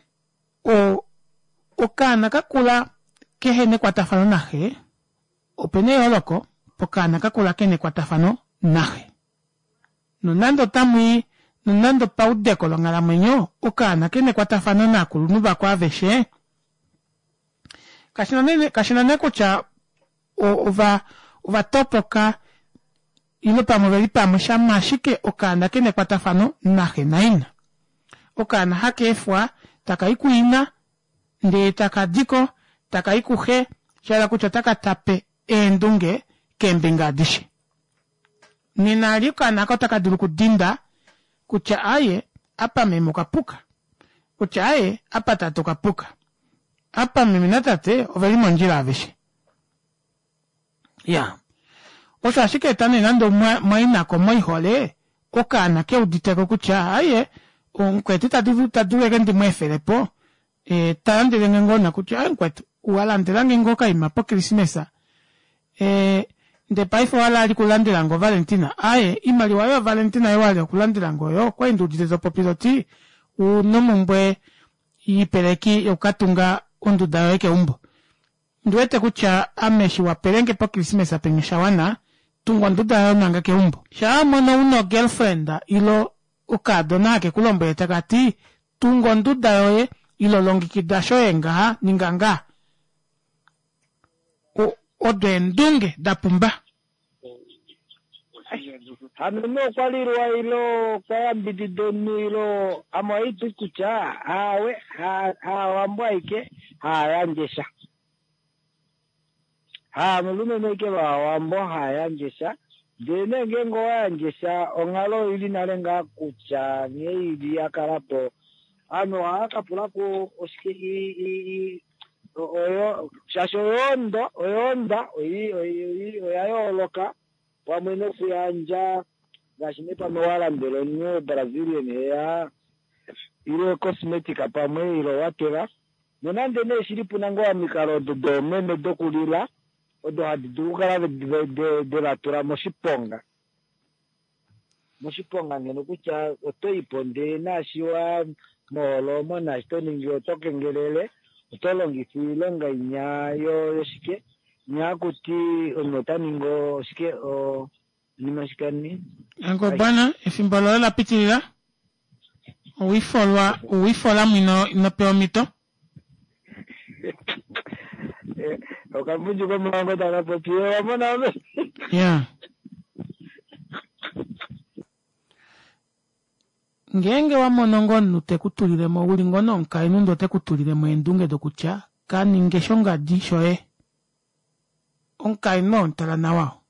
o, okaana ka kula kehe na ekwatafano naxe, Ope na eyooloko pokaana ka kula ke na ekwatafano naxe. Nonande otamu i, nonande opaudeko longhalamwenyo okaana ke na ekwatafano naakulunhu vako aveshe, kashi na nee, kashi na nee kutya ova, ova topoka ile pamwe ove li pamwe, shamha ashike okaana ke na ekwatafano naxe naina. Okaana haka efwa taka i kuina ndee taka di ko taka i kuxe, sha hala kutya otaka tape eendunge keembinga adishe. Nena ali okaana ako otaka dulu okudinda kutya aaye apa meme okwa puka, kutya aaye apa tate okwa puka, apa meme natate ove li mondjila aveshe. Ya. Osho ashike eta nee nande mwainako moihole okaana ke uditeko kutya aye omukwetu ta dulu ta dulu eke ndi mu efele po e, ta landele nge ngoo na kutya aye mukwetu wa landela nge ngoo okaima pokrismesa e, nde paife owa ali kulandela nge ovalentina aye imaliwa yo valentina yo wali okulandela nge oyo okwali ndi udite to popi toti una omumbwe yipeleki yokukatunga onduda yoye keumbo Ondi wete kutya ame eshi wa pelenge pokrismesa penya osha wana, tunga onduda yoye manga keumbo. Shaa wa mono una ogirlfriend ilo okaadona hake ku lombwele taka ti tunga onduda yoye ilo longikida shoye ngaha ninga ngaha. Odo eendunge da pumba. Hano nee okwa lilwa ilo okwa yambidida omunhu ilo ame ohandi ti kutya aawe haawambo aike haa yandje sha. Haamulumenhu aike vaawambo haa yandje sha ndele nee ngeenge owa yandje sha onghalo oili nale ngaa kutya nghee ili ya kala po ovanhu ohava ka pula ko oshike oyo shaashi oyondo oyoonda oya yooloka pamwe nokuyandja ngaashi nee pamwe wa landela omunhu Brazilian hair ile cosmetic pamwe ile whatever nonande nee shili puna ngoo omikalo odo doomeme dokulila odo hadi dulu okukala de va tula moshiponga moshiponga ngeno kutya oto ipo ndee naashi wa moholo omo naashi to ningi oto kengelele oto longifa oilonga inya yoshike inya hakuti omunhu ota ningi oshike oshinima shikani Ango bwana efimbo loye la pitilila owifolwa owifola mwino ino pewa omhito okambundju komawango taka popi wa mona ove ya ngeenge wa mono ngoo omunhu te ku tulile mo uli ngoo nomukainhu ndee ote ku tulile mo eendunge dokutya ka ninge shongadi shoye omukainhu oo mutala nawa oo.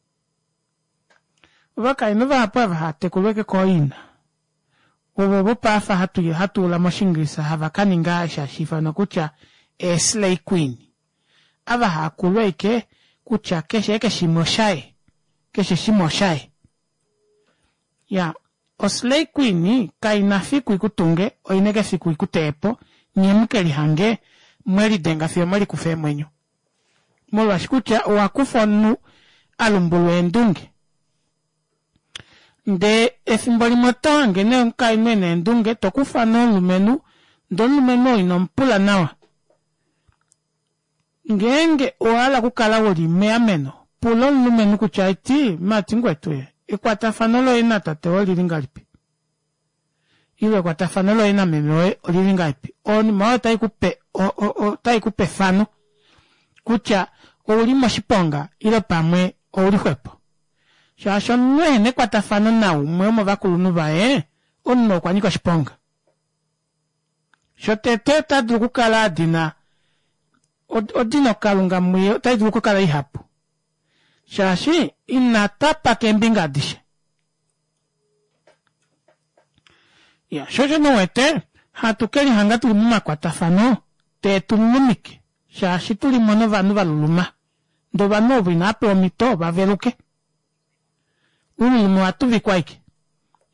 Ovakainhu vahapu ava hava tekulwa eke kooina ovo vopaafa hatu hatu ula mOshiingilisa hava ka ninga eshi hashi ifanwa kutya eeslay queen. Ava hava kulwa eke kutya keshe eke shimwe oshaye, keshe shimwe oshaye. Ya, oslay queen kai na fiku ikutunge, oina eke fiku ikuteye po, nye mu ke lihange mwe lidenga fiyo mwe likufa eemwenyo. Molwaashi kutya owa kufa omunhu a lumbulwa eendunge. Ndee efimbo limwe oto hange nee omukainhu ena eendunge, to kufa nee omulumenhu, ndee omulumenhu oo ino mu pula nawa. Ngeenge owa hala okukala u li meameno, pula omulumenhu kutya eti, Mati ngwetu ye, ekwatafano loye natate woye olili ngahelipi? Ile ekwatafano loye nameme woye olili ngahelipi? Oinima oyo otai ku pe otai ku pe efano kutya ou li moshiponga ile pamwe ou li xwepo. Shaashi omunhu ehena ekwatafano naumwe womovakulunhu vaye, omunhu okwa nyika oshiponga. Shotete ota dulu okukala a dina odino Kalunga muye otai dulu okukala ihapu shaashi ina tapa keembinga adishe. Ya, sho osho nee uwete hatu ke lihanga tuli momakwatafano tee tu lulumike shaashi tuli mo novanhu va luluma ndee ovanhu ovo inava pewa omhito va veluke. Uululume owa tuvikwa aike.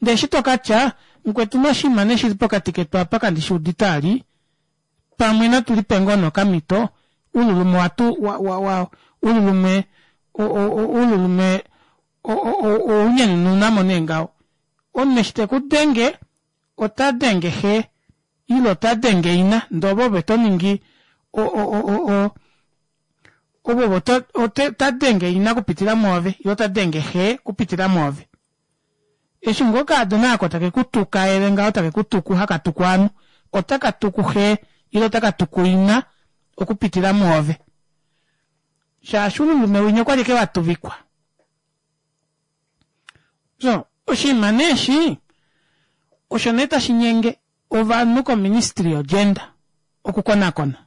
Ndee eshi to ka tya, Mukwetu noshinima nee shili pokati ketu apa kandi shi udite ali, pamwe natu lipe ngoo nee okamhito, uululume owa tu, wa, wa, wa, uululume, o, o, o, uululume o, o, o, ounyanununa mo nee ngaho. Omunhu eshi te ku denge, ota denge xe, ile ota denge ina, ndee ove ove to ningi o, o, o, o, o, Ovo ota denge ina okupitila mwoove, ile ota denge xe okupitila mwoove. Eshi ngoo okaadona ako take ku tukaele ngaho, take ku tuku, haka tuku ovanhu, otaka tuku xe ile otaka tuku ina okupitila mwoove. Shaashi oululume winya okwa li eke wa tuvikwa. So, oshinima nee eshi osho nee tashi nyenge ovanhu koministry yogender okukonakona.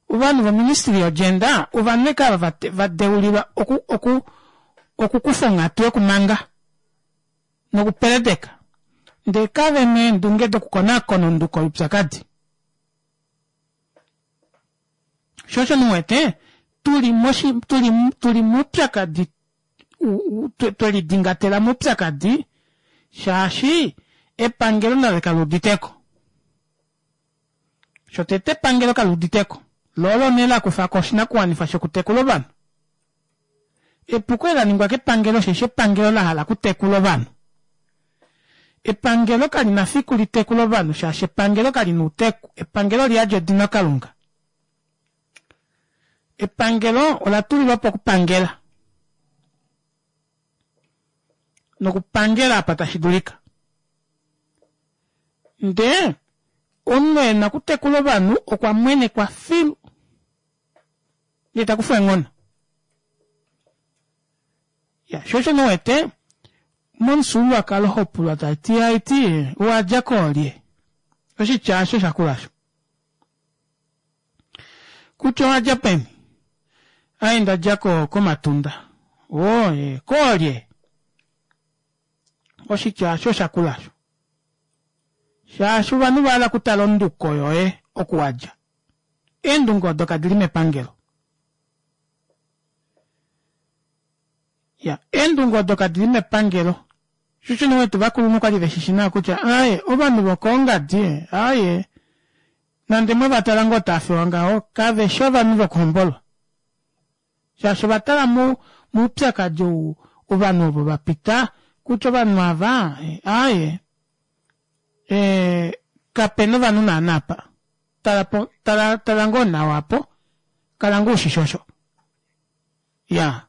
Ovanhu voministry yogender ovanhu eke ava va deulilwa oku, oku, okukufa onghatu yokumanga nokupeledeka ndee kave na eendunge dokukonakona onduko youpyakadi. Sho osho muwete tuli moshi, tuli, tuli moupyakadi twe lidingatela moupyakadi shaashi epangelo nalo kali uditeko. Shotete epangelo kali uditeko, lo olo nee la kufa ko oshinakuwanifwa shokutekula ovanhu. Epuko eli la ningwa kepangelo osheshi epangelo la hala okutekula ovanhu. Epangelo kali na fiku li tekule ovanhu shaashi epangelo kali na outeku. Epangelo oli yadi odino Kalunga. Epangelo ola tulilwa po okupangela. Nokupangela apa tashi dulika. Ndee omunhu e na okutekula ovanhu okwa mwenekwa filu. Ndee ta kufwa eenghono. Ya, sho osho nee uwete momufyuululwakalo ho pulwa ta ti aiti owa dja koolye? Oshitya osho sha kula osho. Kutya owa dja peni? Ai nda dja ko komatunda. Oo, ee, koolye? Oshitya osho sha kula osho. Shaashi ovanhu va hala okutala onduko yoye oku wa dja. Eendunge odo kadi li mepangelo. Ya, eendunge odo kadi li mepangelo. Shushuni wetu vakulunhu okwali ve shishi nawa kutya aaye ovanhu vokoongadi aaye nande mwe va tala ngoo taa fewa ngaho kave shi ovanhu vokuhombolwa. Shaashi ova tala mo moupyakadi ou ovanhu ovo va pita kutya ovanhu ava aaye ee kape na ovanhu naana apa. Tala po tala tala ngoo nawa apo kala ngoo ushishi osho. Ya.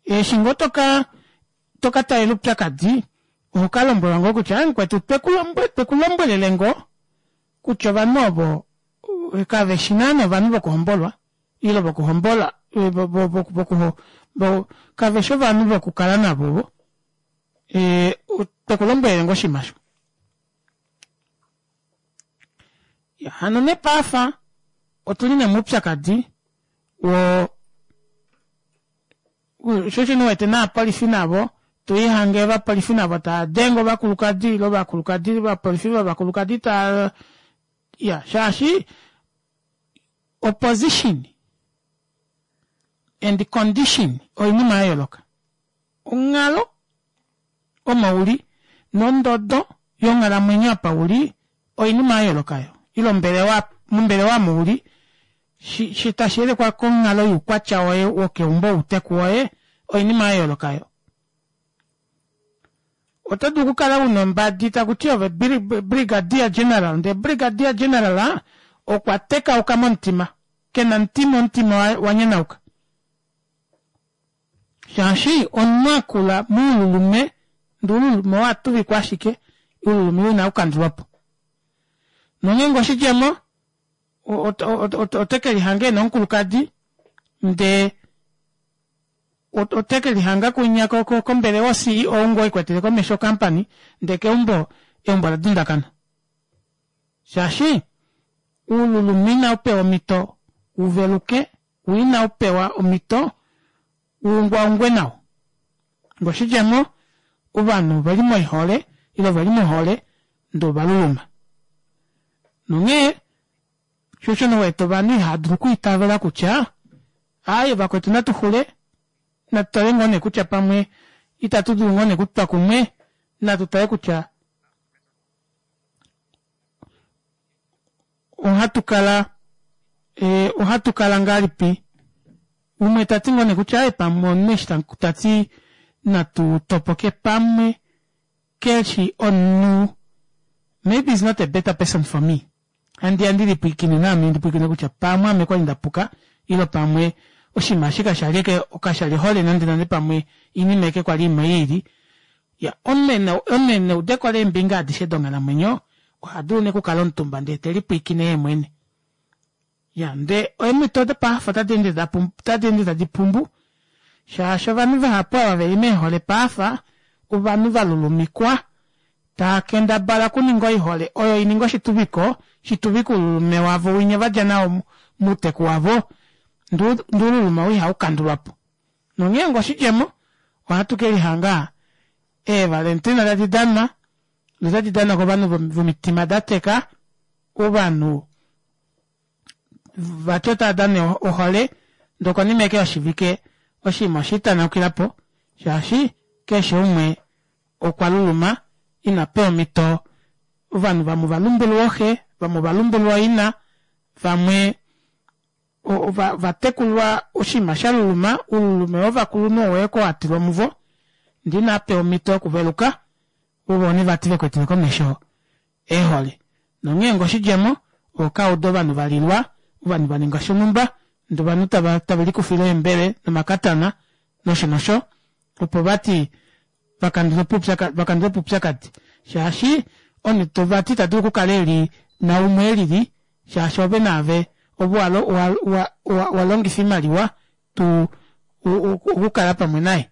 Eshi ngoo toka toka talela oupyakadi oho ka lombwelwa ngoo kutya mukwetu tweku lombwelele ngoo kutya ovanhu ovo kave shi naana ovanhu vokuhombolwa ile vokuhombola kave shi ovanhu vokukala navo ovo tweku lombwelele ngoo oshinima osho. Hano nepaafa otuli nee moupyakadi wo sho osho wete naapolifi navo to ihange ovapolifi navo tava denge ovakulukadi ile ovakulukadi ovapolifi vovakulukadi tava ya shaashi opposition and condition oinima ya yooloka onghalo. omo uli nondodo yonghalamwenyo apa uli oinima ya yooloka yo ile ombelewa mombelewa omo uli shi, shi tashi yelekwa konghalo youkwatya woye wokeumbo outeku woye oinima ya yooloka yo oto dulu okukala una ombadi taku ti ove brigadier general ndee brigadier general okwa tekauka momutima kena omutima omutima wa nyanauka shaashi omunhu akula muululume ndee uululume owa tuvikwa ashike uululume ina ukandulwa po nongeenge oshidjemo ote ke lihanga ena omukulukadi ndee ote ke lihanga kunya kombelewa o-CEO ngoo ikwetele komesho okampani ndee keumbo eumbo ola dundakana shaashi uululume inau pewa omhito uveluke wo inau pewa omhito uungwaungwe nao ngoshidjemo ovanhu oveli moihole ile oveli mohole ndee ovaluluma nonghee sho osho nee wete ovanhu ihava dulu okwiitavela kutya aaye vakwetu natu xule natu tale ngoo nee kutya pamwe itatu dulu ngoo nee okutwa kumwe natu tale kutya ohatu kala eh, ohatu kala ngahelipi umwe ta ti ngoo nee kutya aaye pamwe omunhu eshi ta ti natu topoke pamwe keshi omunhu maybe is not a better person for me handi ya ndi lipwiikine naame ndi pwiikine kutya pamwe ame kwali nda puka ile pamwe oshinima eshi kasha li kasha li hole nande nande pamwe oinima eke kwali imwe iili ya omunhu ena eudeko leembinga adishe donghalamwenyo oha dulu nee okukala omutumba ndee te lipwiikine yee mwene Ya, ndee eemhito dopaafa otadi ende da pum, otadi ende tadi pumbu, shaashi ovanhu vahapu ava ve li meehole paafa ovanhu va lulumikwa, taa kendabala okuninga oihole oyo i ninge oshituviko, shi tuvike oululume wavo winya va dja nao mouteku wavo, ndee, ndee oululume ou ihau kandulwa po. Nonghee onga oshidjemo, ohatu ke lihanga eevalentina tadi danwa, notadi danwa kovanhu vomitima da teka, ovanhu vati otava dana ohole ndee okonima eke yoshivike oshinima osha itanaukila po shaashi keshe umwe okwa luluma ina pewa omhito ovanhu vamwe ova lumbulwa ooxe vamwe ova lumbulwa ooina vamwe ova tekulwa oshinima sha luluma oululume wovakulunhu owo eke wa tilwa muvo ndee inava pewa omhito yokuveluka ovo nee vati vekwetele komesho eehole. Nonghee ngo oshidjemo, oho ka uda ovanhu va lilwa, ovanhu va ninga shonhumba, ndee ovanhu tava tave likufile eembele nomakatana nosho nosho, opo vati va kandule po oupyakadi, va kandule po oupyakadi. Shaashi omunhu vati ita dulu okukala eli naumwe elili, shaashi ove naave ove wa wa wa wa wa longifa oimaliwa tu okukala pamwe naye.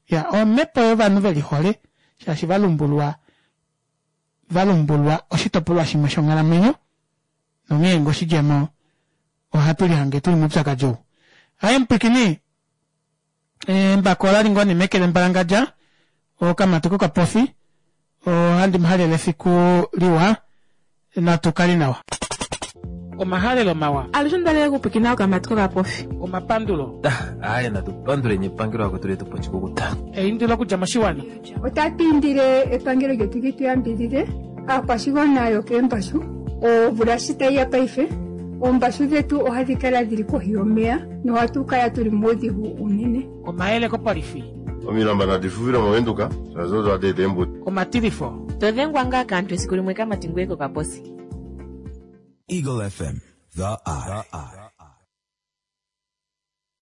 Ya, omhepo yovanhu ve lihole shaashi va lumbulwa va lumbulwa oshitopolwa shimwe shonghalamwenyo, nonghee ngo oshidjemo ohatu lihange tuli moupyakadi ou. Aye mupwikini, embako olali ngoo nee meke lembalangadja, okamati kokapofi, ohandi mu halele efiku liwa, natu kale nawa. Omahalelo mawa. Alushe onda lela okupwikina okamati kokapofi. Omapandulo. Aaye natu panduleni epangelo akwetu letu po oshikukuta. Eindilo okudja moshiwana. Otatu indile epangelo lyetu li tu yambidhidhe aakwashigwana yokeembashu. Omvula shi tayi ya paife, oombashu dhetu ohadhi kala dhi li kohi yomeya nohatu kala tu li muudhigu uunene. Omayele kopolifi. Omilamba nadi fufile mOvenduka, shaashi odo hadi eta eembuto. Omatilifo. To dhengwa ngaa kaantu esiku limwe kamati ngoye kokaposi. Eagle FM, the eye.